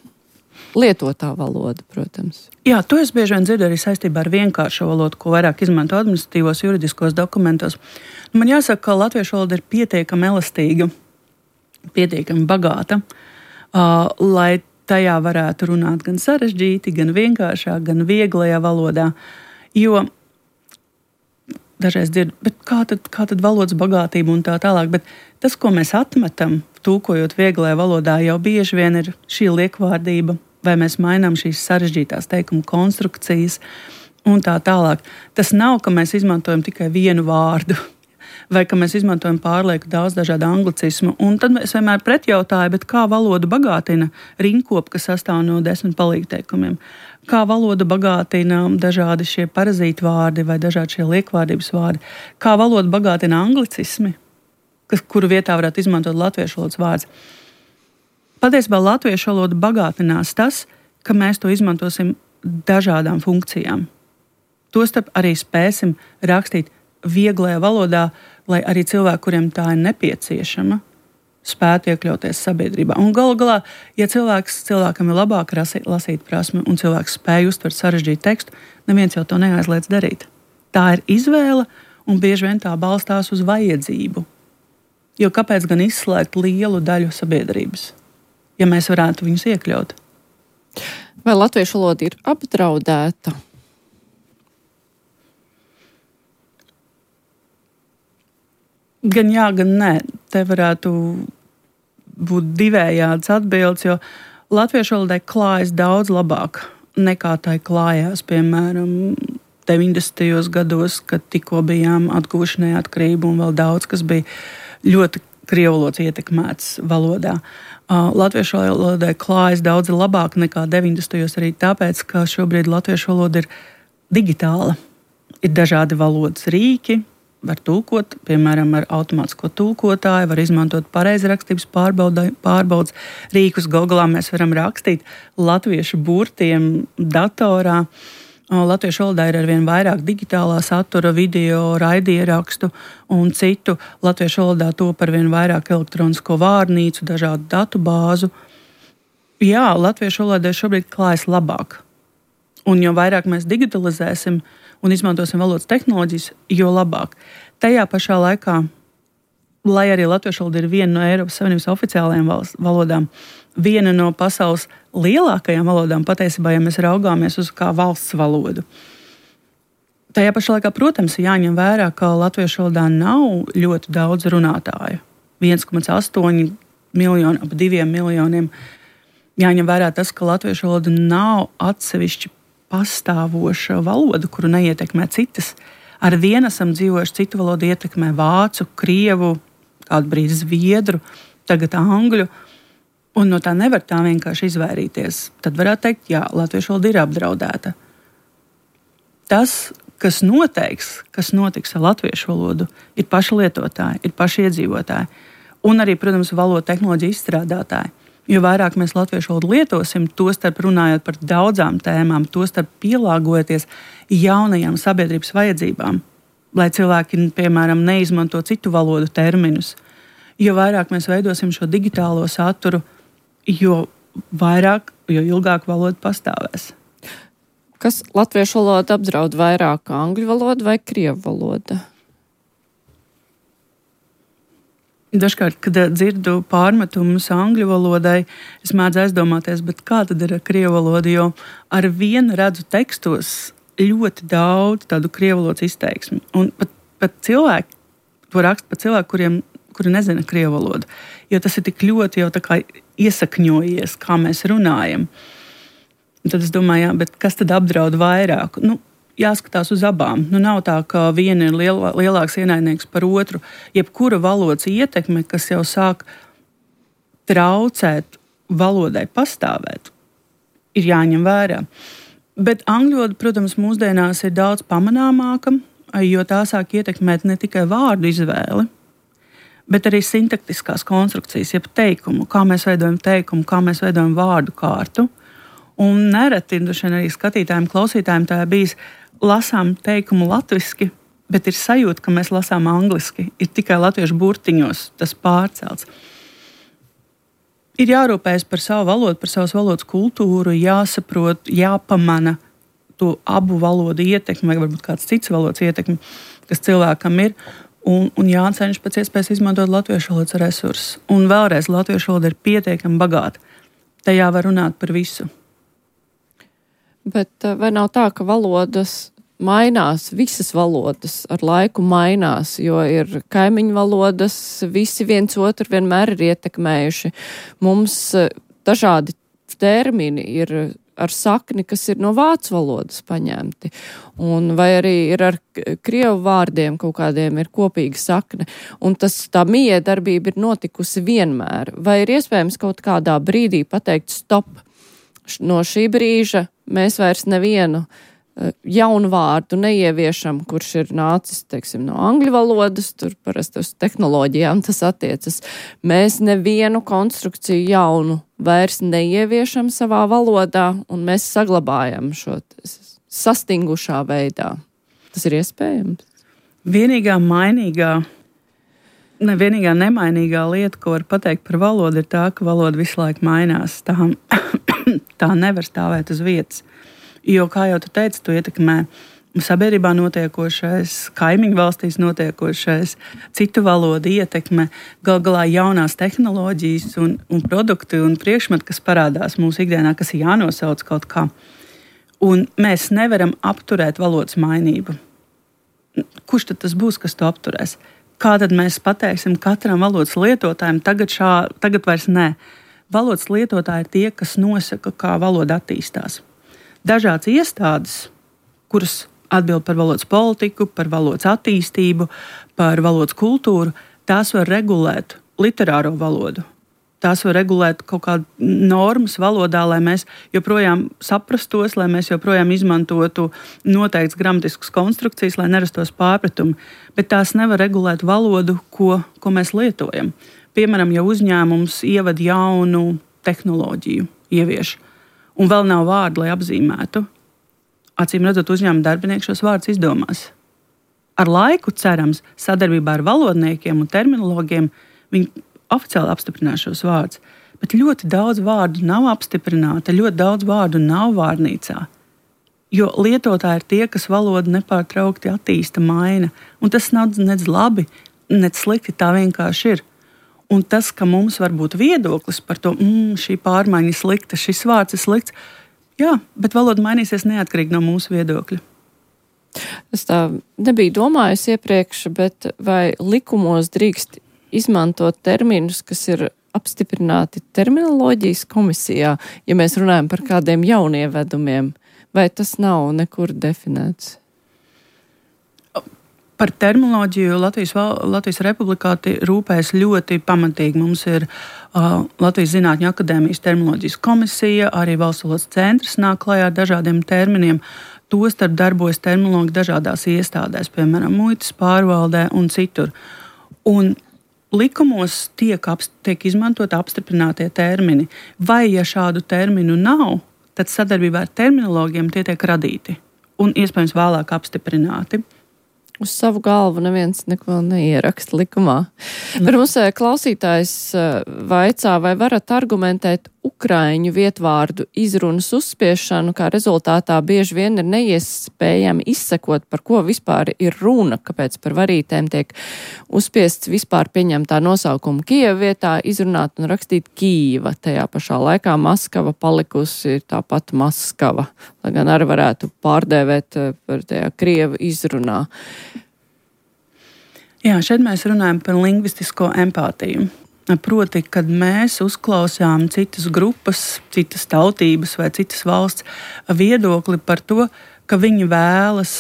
Lietotā valoda, protams. Jā, to es bieži vien dzirdu arī saistībā ar vienkāršo valodu, ko vairāk izmanto administratīvos juridiskos dokumentos. Man jāsaka, ka latviešu valoda ir pietiekami elastīga, pietiekami bagāta, uh, lai tajā varētu runāt gan sarežģīti, gan vienkāršāk, gan vieglajā valodā. Jo dažreiz dzirdu, bet kā tad, kā tad valodas bagātība un tā tālāk, bet tas, ko mēs atmetam, tūkojot vieglajā valodā, jau bieži vien ir šī liekvārdība, vai mēs mainām šīs sarežģītās teikuma konstrukcijas un tā tālāk. Tas nav, ka mēs izmantojam tikai vienu vārdu, vai ka mēs izmantojam pārlieku daudz dažādu anglicismu. Un tad es vienmēr pretjautāju, bet kā valodu bagātina rinkopa, kas sastāv no desmit palīgteikumiem? Kā valodu bagātina dažādi šie parazītu vārdi vai dažādi šie liekvārdības vārdi? Kā valodu bagātina anglicismi, kas, kuru vietā varētu izmantot latviešu valodas vārds? Patiesībā latviešu valoda bagātinās tas, ka mēs to izmantosim dažādām funkcijām. Tostarp arī spēsim rakstīt vieglajā valodā, lai arī cilvēki, kuriem tā ir nepieciešama, spētu iekļauties sabiedrībā. Un galu galā, ja cilvēks, cilvēkam ir labāk lasīt prasme un cilvēks spēj uztvert sarežģītu tekstu, neviens jau to neaizliedz darīt. Tā ir izvēle un bieži vien tā balstās uz vajadzību. Jo kāpēc gan izslēgt lielu daļu sabiedrības, ja mēs varētu viņus iekļaut? Vai latviešu valoda ir apdraudēta? Gan jā, gan nē. Te varētu būt divējādas atbildes, jo latviešu valodai klājas daudz labāk nekā tai klājās, piemēram, deviņdesmitajos gados, kad tikko bijām atguvuši neatkarību un vēl daudz, kas bija ļoti krievvalodas ietekmēts valodā. Uh, latviešu valodai klājas daudz labāk nekā deviņdesmitajos arī tāpēc, ka šobrīd latviešu valoda ir digitāla. Ir dažādi valodas rīki, var tulkot, piemēram, ar automātisko tulkotāju, var izmantot pareizrakstības pārbaudas rīkus. Googlā mēs varam rakstīt latviešu burtiem datorā. Latviešu valodā ir arvien vairāk digitālā satura, video, raidierakstu un citu. Latviešu valodā top arvien vairāk elektronisko vārnīcu, dažādu datu bāzu. Jā, latviešu valodai šobrīd klājas labāk. Un jo vairāk mēs digitalizēsim un izmantosim valodas tehnoloģijas, jo labāk. Tajā pašā laikā lai arī latviešu valoda ir viena no Eiropas Savienības oficiālajām valodām, viena no pasaules lielākajām valodām, patiesībā, ja mēs raugāmies uz kā valsts valodu. Tajā pašā laikā, protams, ir jāņem vērā, ka latviešu valodā nav ļoti daudz runātāju. viens komats astoņi miljoni, ap diviem miljoniem. Jāņem vērā tas, ka latviešu valoda nav atsevišķi pastāvoša valoda, kuru neietekmē citas. Ar vienu esam dzīvojuši, citu valodu ietekmē vācu, krievu, kādu brīdi zviedru, tagad angļu. Un no tā nevar tā vienkārši izvairīties. Tad varētu teikt, jā, latviešu valoda ir apdraudēta. Tas, kas noteiks, kas notiks ar latviešu valodu, ir paši lietotāji, ir paši iedzīvotāji. Un arī, protams, valodu tehnoloģiju izstrādātāji. Jo vairāk mēs latviešu valodu lietosim, tostarp runājot par daudzām tēmām, tostarp pielāgojoties jaunajām sabiedrības vajadzībām, lai cilvēki, piemēram, neizmanto citu valodu terminus. Jo vairāk mēs veidosim šo digitālo saturu, jo vairāk, jo ilgāk valoda pastāvēs. Kas latviešu valodu apdraud vairāk, angļu valoda vai krievu valoda? Dažkārt, kad dzirdu pārmetumus angļu valodai, es mēdzu aizdomāties, bet kā tad ir ar krievu valodu, jo ar vienu redzu tekstos ļoti daudz tādu krievu valodas izteiksmi. Un pat, pat cilvēki, to raksta pat cilvēki, kuriem, kuri nezina krievu valodu, jo tas ir tik ļoti jau tā kā iesakņojies, kā mēs runājam. Un tad es domāju, jā, bet kas tad apdraud vairāk? Nu, jāskatās uz abām. Nu, nav tā, ka viena ir liel, lielāks ienaidnieks par otru. Jebkura valodas ietekme, kas jau sāk traucēt valodai pastāvēt, ir jāņem vērā. Bet angļu valoda, protams, mūsdienās ir daudz pamanāmāka, jo tā sāk ietekmēt ne tikai vārdu izvēli, bet arī sintaktiskās konstrukcijas, jeb teikumu, kā mēs veidojam teikumu, kā mēs veidojam vārdu kārtu. Un nereti arī skatītājiem, klausītājiem tā bijis lasām teikumu latviski, bet ir sajūta, ka mēs lasām angliski. Ir tikai latviešu burtiņos tas pārcelts. Ir jārūpējas par savu valodu, par savas valodas kultūru, jāsaprot, jāpamana to abu valodu ietekmi, vai varbūt kāds cits valodas ietekmi, kas cilvēkam ir, un, un jācenšas pēc iespējas izmantot latviešu valodas resursus. Un vēlreiz, latviešu valoda ir pietiekami bagāta. Tajā var runāt par visu. Bet vai nav tā, ka valodas mainās, visas valodas ar laiku mainās, jo ir kaimiņu valodas, visi viens otru vienmēr ir ietekmējuši. Mums dažādi termini ir ar sakni, kas ir no vācu valodas paņemti. Un vai arī ir ar krievu vārdiem kaut kādiem ir kopīga sakne. Un tas, tā miedarbība ir notikusi vienmēr. Vai ir iespējams kaut kādā brīdī pateikt stop? No šī brīža mēs vairs nevienu jaunu vārdu neieviešam, kurš ir nācis, teiksim, no angļu valodas, tur parasti uz tehnoloģijām tas attiecas. Mēs nevienu konstrukciju jaunu vairs neieviešam savā valodā, un mēs saglabājam šo sastingušā veidā. Tas ir iespējams? Vienīgā mainīgā, ne, vienīgā nemainīgā lieta, ko var pateikt par valodu, ir tā, ka valoda visu laiku mainās. Tā, tā nevar stāvēt uz vietas. Jo, kā jau tu teici, tu ietekmē sabiedrībā notiekošais, kaimiņu valstīs notiekošais, citu valodu ietekme, gal galā jaunās tehnoloģijas un, un produkti un priekšmeti, kas parādās mūsu ikdienā, kas ir jānosauc kaut kā. Un mēs nevaram apturēt valodas mainību. Kurš tad tas būs, kas to apturēs? Kā tad mēs pateiksim katram valodas lietotājiem, tagad, šā, tagad vairs nē. Valodas lietotāji ir tie, kas nosaka, kā valoda attīstās. Dažādas iestādes, kuras atbild par valodas politiku, par valodas attīstību, par valodas kultūru, tās var regulēt literāro valodu. Tās var regulēt kaut kādu normas valodā, lai mēs joprojām saprastos, lai mēs joprojām izmantotu noteikts gramatiskas konstrukcijas, lai nerastos pārpratumi. Bet tās nevar regulēt valodu, ko, ko mēs lietojam. Piemēram, ja uzņēmums ieved jaunu tehnoloģiju, ievieš, un vēl nav vārdu, lai apzīmētu, acīm redzot, uzņēmuma darbinieki šos vārdus izdomās. Ar laiku, cerams, sadarbībā ar valodniekiem un terminologiem viņi oficiāli apstiprinās šos vārdus, bet ļoti daudz vārdu nav apstiprināta, ļoti daudz vārdu nav vārnīcā, jo lietotāji ir tie, kas valodu nepārtraukti attīsta, maina, un tas nav nedz labi, nec slikti, tā vienkārši ir. Un tas, ka mums var būt viedoklis par to, mm, šī pārmaiņa ir slikta, šis vārds ir slikts, jā, bet valoda mainīsies neatkarīgi no mūsu viedokļa. Es tā nebiju domājusi iepriekš, bet vai likumos drīkst izmantot terminus, kas ir apstiprināti terminoloģijas komisijā, ja mēs runājam par kādiem jaunievedumiem, vai tas nav nekur definēts? Par terminoloģiju Latvijas, Latvijas Republikā rūpējas ļoti pamatīgi. Mums ir uh, Latvijas Zinātņu akadēmijas terminoloģijas komisija, arī Valsts valodas centrs nāk klajā ar dažādiem terminiem. Tostarp darbojas terminologi dažādās iestādēs, piemēram, muitas pārvaldē un citur. Un likumos tiek, apst, tiek izmantot apstiprinātie termini. Vai, ja šādu terminu nav, tad sadarbībā ar terminologiem tie tiek radīti un iespējams vēlāk apstiprināti. Uz savu galvu neviens neko neieraksta likumā. Par mums klausītājs vaicā, vai varat argumentēt ukraiņu vietvārdu izrunas uzspiešanu, kā rezultātā bieži vien ir neiespējami izsekot, par ko vispār ir runa, kāpēc par varītēm tiek uzspiests vispār pieņemtā nosaukuma Kijeva vietā, izrunāt un rakstīt Kīva. Tajā pašā laikā Maskava palikusi tāpat Maskava, lai gan arī varētu pārdēvēt par tajā Krievu izrunā. Jā, šeit mēs runājam par lingvistisko empātiju. Proti, kad mēs uzklausām citas grupas, citas tautības vai citas valsts viedokli par to, ka viņi vēlas,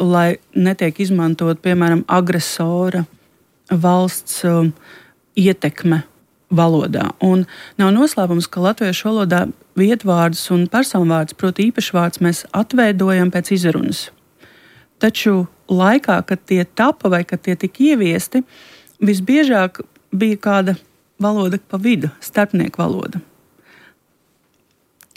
lai netiek izmantot, piemēram, agresora valsts um, ietekme valodā. Un nav noslēpums, ka latviešu valodā vietvārdus un personvārdus, proti īpašvārds, mēs atveidojam pēc izrunas. Taču laikā, kad tie tapa vai kad tie tika ieviesti, visbiežāk bija kāda valoda pa vidu, starpnieku valoda.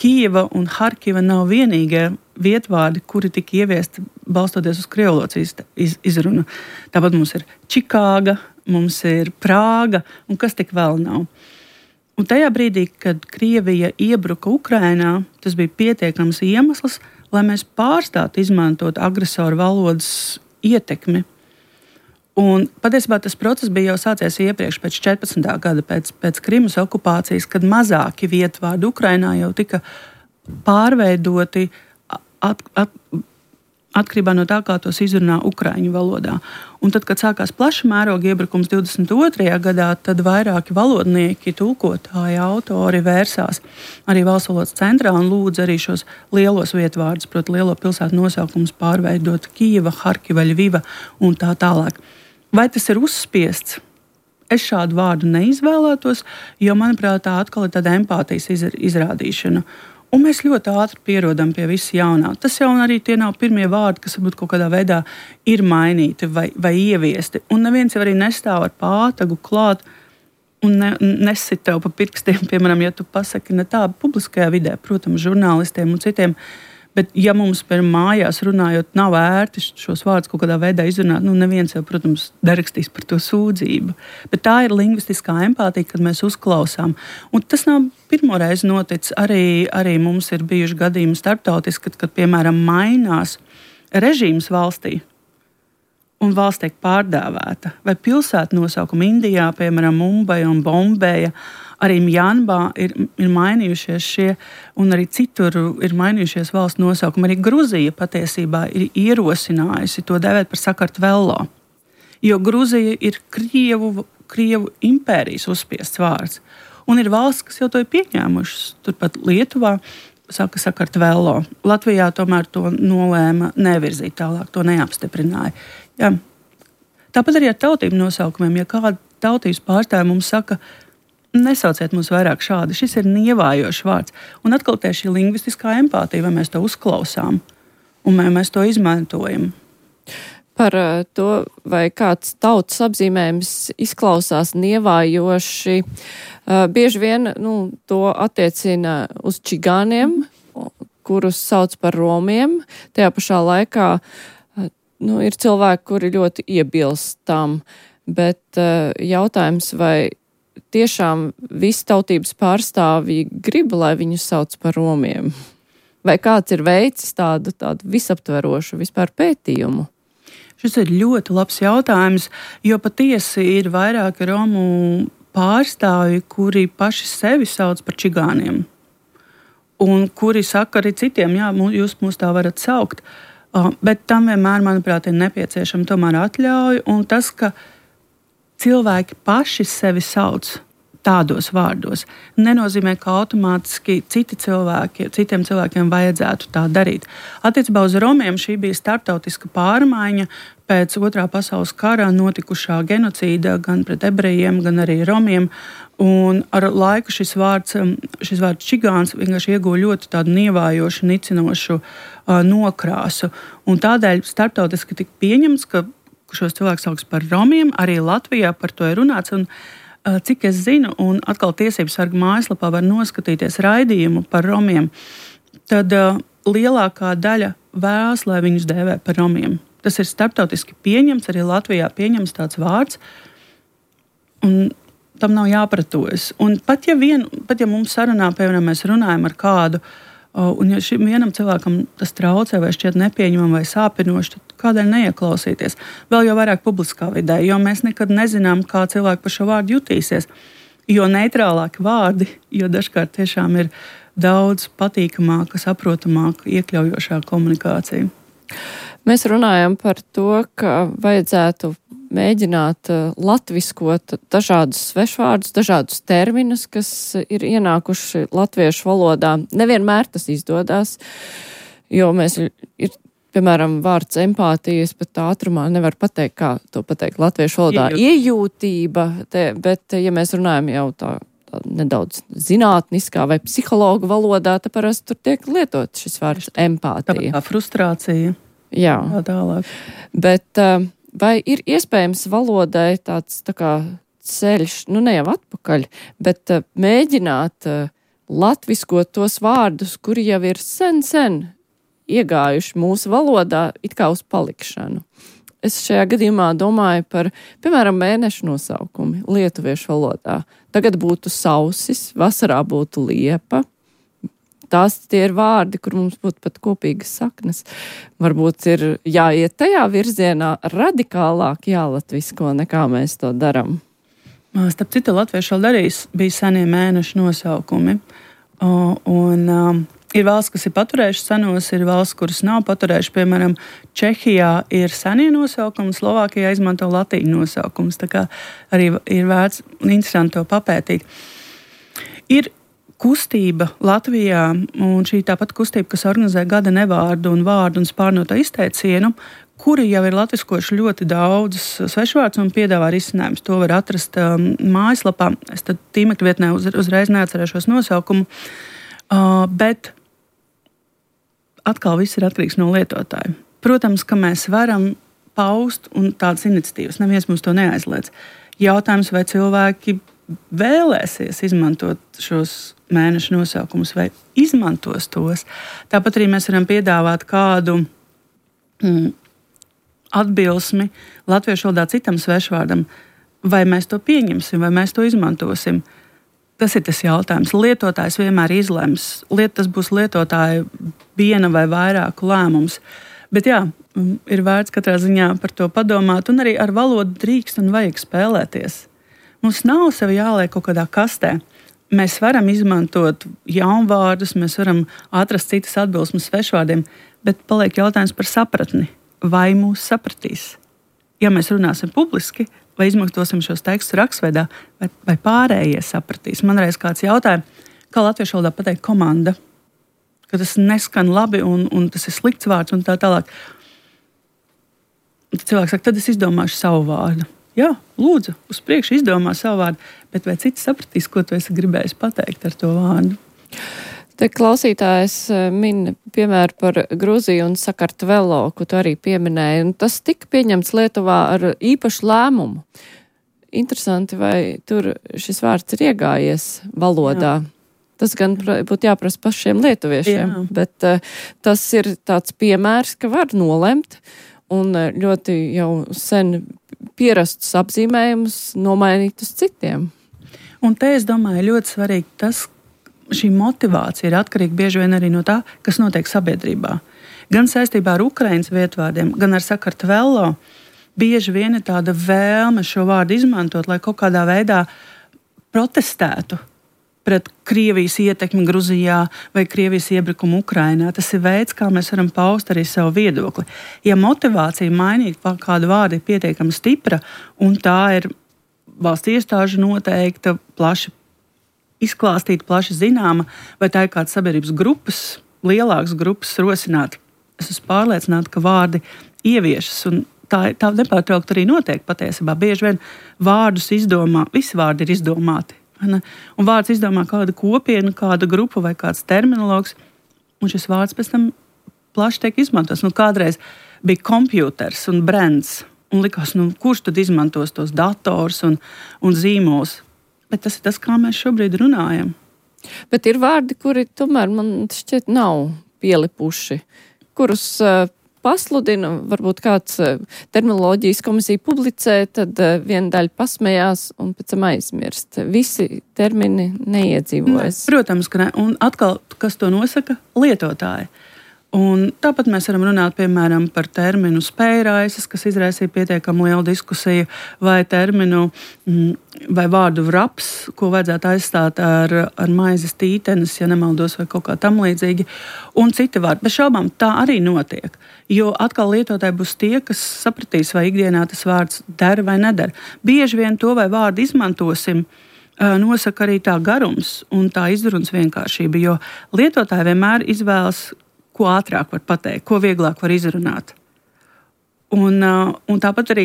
Kijeva un Harkiva nav vienīgie vietvārdi, kuri tika ieviesti balstoties uz krievlodas iz, izrunu. Tāpat mums ir Čikāga, mums ir Prāga un kas tik vēl nav. Un tajā brīdī, kad Krievija iebruka Ukrainā, tas bija pietiekams iemesls, lai mēs pārstātu izmantot agresoru valodas ietekmi. Un patiesībā tas process bija jau sācies iepriekš, pēc četrpadsmitā gada, pēc, pēc Krimas okupācijas, kad mazāki vietvārdi Ukrainā jau tika pārveidoti at, at, atkarībā no tā, kā tos izrunā ukraiņu valodā. Un tad, kad sākās plaša mēroga iebrukums divdesmit otrajā gadā, tad vairāki valodnieki, tulkotāji, autori vērsās arī Valsts valodas centrā un lūdza arī šos lielos vietvārdus, proti lielo pilsētu nosaukumus pārveidot Kijeva, Harkiva, Ļviva un tā tālāk. Vai tas ir uzspiests? Es šādu vārdu neizvēlētos, jo, manuprāt, tā atkal ir tāda empātijas izrādīšana. Un mēs ļoti ātri pierodam pie visa jaunā. Tas jau arī tie nav pirmie vārdi, kas varbūt kaut kādā veidā ir mainīti vai, vai ieviesti. Un neviens jau arī nestāv ar pātagu klāt un ne, nesit tev pa pirkstiem, piemēram, ja tu pasaki ne tā publiskajā vidē, protams, žurnālistiem un citiem. Bet ja mums, piemēram, mājās runājot, nav ērti šos vārdus kaut kādā veidā izrunāt, nu neviens jau, protams, nerakstīs par to sūdzību. Bet tā ir lingvistiskā empātija, kad mēs uzklausām. Un tas nav pirmoreiz noticis. Arī, arī mums ir bijuši gadījumi starptautiski, kad, kad, piemēram, mainās režīms valstī un valsts tiek pārdēvēta. Vai pilsētu nosaukumi Indijā, piemēram, Mumbaja un Bombeja, arī Mjanmā ir, ir mainījušies šie, un arī citur ir mainījušies valsts nosaukumi. Arī Gruzija patiesībā ir ierosinājusi to dēvēt par Sakartvelo, jo Gruzija ir Krievu, Krievu impērijas uzspiests vārds. Un ir valsts, kas jau to ir pieņēmušas. Turpat Lietuvā saka Sakartvelo. Latvijā tomēr to nolēma nevirzīt tālāk, to neapstiprināja. Jā. Tāpat arī ar tautību nosaukumiem, ja kāda tautības pārstāvja mums saka, nesauciet mums vairāk šādi, šis ir nievājošs vārds. Un atkal tie šī lingvistiskā empātija, vai mēs to uzklausām un vai mēs to izmantojam. Par to, vai kāds tautas apzīmējums izklausās nievājoši, bieži vien nu, to attiecina uz čigāniem, kurus sauc par romiem. Tajā pašā laikā nu, ir cilvēki, kuri ļoti iebilst tam, bet jautājums, vai tiešām visi tautības pārstāvji grib, lai viņus sauc par romiem? Vai kāds ir veicis tādu, tādu visaptverošu vispār pētījumu? Šis ir ļoti labs jautājums, jo patiesi ir vairāki romu pārstāvji, kuri paši sevi sauc par čigāniem. Un kuri saka arī citiem, jā, jūs mūs tā varat saukt. Bet tam vienmēr, manuprāt, ir nepieciešama tomēr atļauja. Un tas, ka cilvēki paši sevi sauc tādos vārdos, nenozīmē, ka automātiski citi cilvēki, citiem cilvēkiem vajadzētu tā darīt. Attiecībā uz romiem šī bija starptautiska pārmaiņa pēc otrā pasaules kara notikušā genocīda gan pret ebrejiem, gan arī romiem. Un ar laiku šis vārds, šis vārds čigāns vienkārši ieguva ļoti tādu nievājošu, nicinošu uh, nokrāsu. Un tādēļ starptautiski tika pieņemts, ka šos cilvēkus sauks par romiem, arī Latvijā par to ir runāts. Un, uh, cik es zinu, un atkal tiesības sarga mājaslapā var noskatīties raidījumu par romiem, tad uh, lielākā daļa vēlas, lai viņus dēvē par romiem. Tas ir starptautiski pieņemts, arī Latvijā pieņemts tāds vārds. Un tam nav jāpratojas. Un pat ja, vien, pat ja mums sarunā, piemēram, mēs runājam ar kādu, un ja šim vienam cilvēkam tas traucē vai šķiet nepieņemam vai sāpinoši, tad kādēļ neieklausīties? Vēl jau vairāk publiskā vidē, jo mēs nekad nezinām, kā cilvēki par šo vārdu jutīsies. Jo neitrālāki vārdi, jo dažkārt tiešām ir daudz patīkamāka, saprotamāka, iekļaujošāka komunikācija. Mēs runājam par to, ka vajadzētu mēģināt latviskot dažādus svešvārdus, dažādus terminus, kas ir ienākuši latviešu valodā. Nevienmēr tas izdodas, jo mēs ir, piemēram, vārds empātijas pat ātrumā nevar pateikt, kā to pateikt latviešu valodā. Iejūtība, te, bet ja mēs runājam jau tā, tā nedaudz zinātniskā vai psihologu valodā, tad parasti tur tiek lietot šis vārds empātija. Tā frustrācija. Jā. Tā tālāk. Bet vai ir iespējams valodai tāds tā kā ceļš, nu ne jau atpakaļ, bet mēģināt latviskot tos vārdus, kuri jau ir sen, sen iegājuši mūsu valodā it kā uz palikšanu? Es šajā gadījumā domāju par, piemēram, mēnešu nosaukumi lietuviešu valodā. Tagad būtu sausis, vasarā būtu liepa. Tās tie ir vārdi, kur mums būtu pat kopīgas saknes. Varbūt ir jāiet tajā virzienā radikālāk jālatvisko, nekā mēs to daram. Starp citu, latviešu vēl arī bija senie mēnešu nosaukumi. Un um, ir valsts, kas ir paturējuši senos, ir valsts, kuras nav paturējuši. Piemēram, Čehijā ir senie nosaukumi, Slovākijā izmanto latīņu nosaukums. Tā kā arī ir vērts un interesanti to papētīt. Ir kustība Latvijā, un šī tāpat kustība, kas organizē gada nevārdu un vārdu un spārnoto izteicienu, kuri jau ir latviskoši ļoti daudz svešvārdus un piedāvā risinājumus. To var atrast um, mājaslapā. Es tad tīmekļa vietnē uz, uzreiz neatcerēšos nosaukumu, uh, bet atkal viss ir atkarīgs no lietotāja. Protams, ka mēs varam paust un tādas iniciatīvas, neviens mums to neaizliedz. Jautājums, vai cilvēki vēlēsies izmantot šos mēnešu nosaukumus vai izmantos tos. Tāpat arī mēs varam piedāvāt kādu mm, atbilsmi latviešu valodā citam svešvārdam, vai mēs to pieņemsim, vai mēs to izmantosim. Tas ir tas jautājums. Lietotājs vienmēr izlems. Liet, tas būs lietotāja viena vai vairāku lēmums. Bet jā, ir vērts katrā ziņā par to padomāt, un arī ar valodu drīkst un vajag spēlēties. Mums nav sevi jāliek kaut kādā kastē. Mēs varam izmantot jaunvārdus, mēs varam atrast citas atbilsmes svešvārdiem, bet paliek jautājums par sapratni. Vai mūs sapratīs? Ja mēs runāsim publiski, vai izmantosim šos tekstus rakstveidā, vai, vai pārējie sapratīs? Man reiz kāds jautāja, kā latviešu valodā pateikt komanda, ka tas neskan labi un, un tas ir slikts vārds un tā tālāk. Tad cilvēks saka, tad es izdomāšu savu vārdu. Jā, lūdzu, uz priekšu izdomā savu vārdu, bet vai cits sapratīs, ko tu esi gribējis pateikt ar to vārdu? Te klausītājs min piemēru par Gruziju un Sakartvelo, ko tu arī pieminēji, un tas tika pieņemts Lietuvā ar īpašu lēmumu. Interesanti, vai tur šis vārds ir iegājies valodā. Jā. Tas gan būtu jāprasa pašiem lietuviešiem, Jā. bet uh, tas ir tāds piemērs, ka var nolemt un ļoti jau sen pierastus apzīmējumus nomainīt uz citiem. Un te es domāju, ļoti svarīgi tas, šī motivācija ir atkarīga bieži vien arī no tā, kas notiek sabiedrībā. gan saistībā ar Ukrainas vietvārdiem, gan ar Sakartvelo, bieži vien ir tāda vēlme šo vārdu izmantot, lai kaut kādā veidā protestētu pret Krievijas ietekmi Gruzijā vai Krievijas iebrukumu Ukrainā. Tas ir veids, kā mēs varam paust arī savu viedokli. Ja motivācija mainīt kādu vārdu ir pietiekami stipra, un tā ir valsts iestāžu noteikta, plaši izklāstīta, plaši zināma, vai tā ir kāds sabiedrības grupas, lielākas grupas rosināt, es esmu pārliecināta, ka vārdi ieviešas, un tā, tā nepārtraukt arī notiek patiesībā. Bieži vien vārdus izdomā, visi vārdi ir izdomāti. Ne? Un vārds izdomā kāda kopiena, kāda grupa vai kāds terminologs, un šis vārds pēc tam plaši tiek izmantots. Nu, kādreiz bija kompjuters un brands, un likās, nu, kurš tad izmantos tos dators un, un zīmos. Bet tas ir tas, kā mēs šobrīd runājam. Bet ir vārdi, kuri tomēr man šķiet nav pielipuši, kurus uh, pasludina, varbūt kāds terminoloģijas komisija publicē, tad viena daļa pasmējās un pēc tam aizmirst. Visi termini neiedzīvojas. Ne, protams, ka ne. Un atkal, kas to nosaka? Lietotāji. Un tāpat mēs varam runāt, piemēram, par terminu spējraisas, kas izraisīja pietiekami lielu diskusiju, vai terminu vai vārdu vraps, ko vajadzētu aizstāt ar, ar maizes tītenes, ja nemaldos, vai kaut kā tam līdzīgi, un citi vārdi. Bez šaubām tā arī notiek, jo atkal lietotāji būs tie, kas sapratīs, vai ikdienā tas vārds der vai neder. Bieži vien to vai vārdu izmantosim, nosaka arī tā garums un tā izrunas vienkāršība, jo lietotāji vienmēr izvēlas, ko ātrāk var pateikt, ko vieglāk var izrunāt. Un, un tāpat arī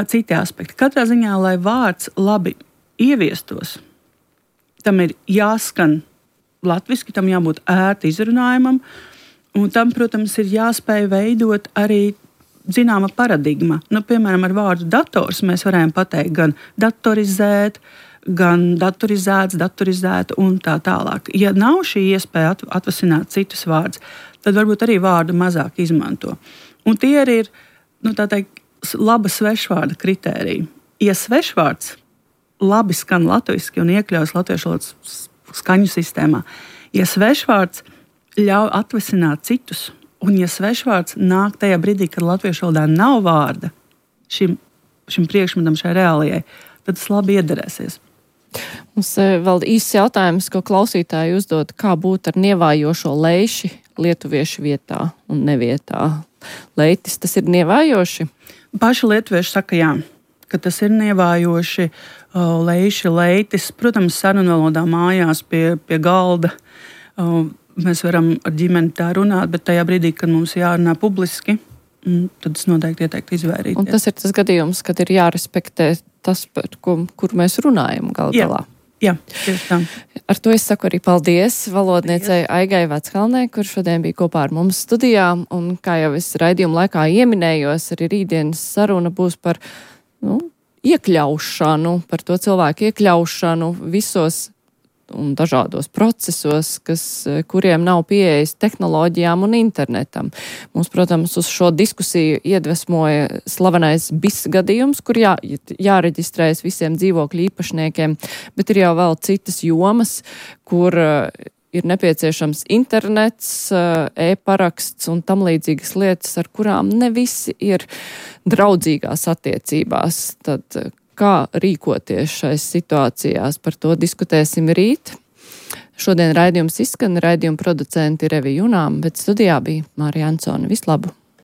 citi aspekti. Katrā ziņā, lai vārds labi ieviestos, tam ir jāskan latviski, tam jābūt ērti izrunājumam, un tam, protams, ir jāspēj veidot arī zināma paradigma. Nu, piemēram, ar vārdu dators mēs varējām pateikt gan datorizēt, gan datorizēts, datorizēta un tā tālāk. Ja nav šī iespēja atvasināt citus vārdus, tad varbūt arī vārdu mazāk izmanto. Un tie arī ir, nu, tā teikt, laba svešvārda kritērija. Ja svešvārds labi skan latviski un iekļaujas latviešu valodas skaņu sistēmā, ja svešvārds ļauj atvasināt citus, un ja svešvārds nāk tajā brīdī, kad latviešu valodā nav vārda šim, šim priekšmetam, šai reālijai, tad tas labi iederēsies. Mums vēl īsts jautājums, ko klausītāji uzdod, kā būt ar nievājošo leiši lietuviešu vietā un nevietā. Leitis, tas ir nievājoši? Paši lietuvieši saka jā, ka tas ir nievājoši, leiši, leitis. Protams, sarunvalodā mājās pie, pie galda mēs varam ar ģimeni tā runāt, bet tajā brīdī, kad mums jārunā publiski, tad es noteikti ieteiktu izvairīties. Un tas ir tas gadījums, kad ir jārespektē tas, par ko, kur mēs runājam gal galā. Jā, tieši tā. Ar to es saku arī paldies valodniecei Aigai Veckalnei, kur šodien bija kopā ar mums studijā. Un kā jau es raidījuma laikā ieminējos, arī rītdienas saruna būs par nu, iekļaušanu, par to cilvēku iekļaušanu visos un dažādos procesos, kas, kuriem nav pieejas tehnoloģijām un internetam. Mums, protams, uz šo diskusiju iedvesmoja slavenais B I S gadījums, kur jā, jāreģistrējas visiem dzīvokļu īpašniekiem, bet ir jau vēl citas jomas, kur ir nepieciešams internets, e-paraksts un tam līdzīgas lietas, ar kurām ne visi ir draudzīgās attiecībās. Tad kā rīkoties šais situācijās, par to diskutēsim rīt. Šodien raidījums izskan, raidījuma producenti ir Evi Junām, bet studijā bija Mārija Ansone. Vislabāk!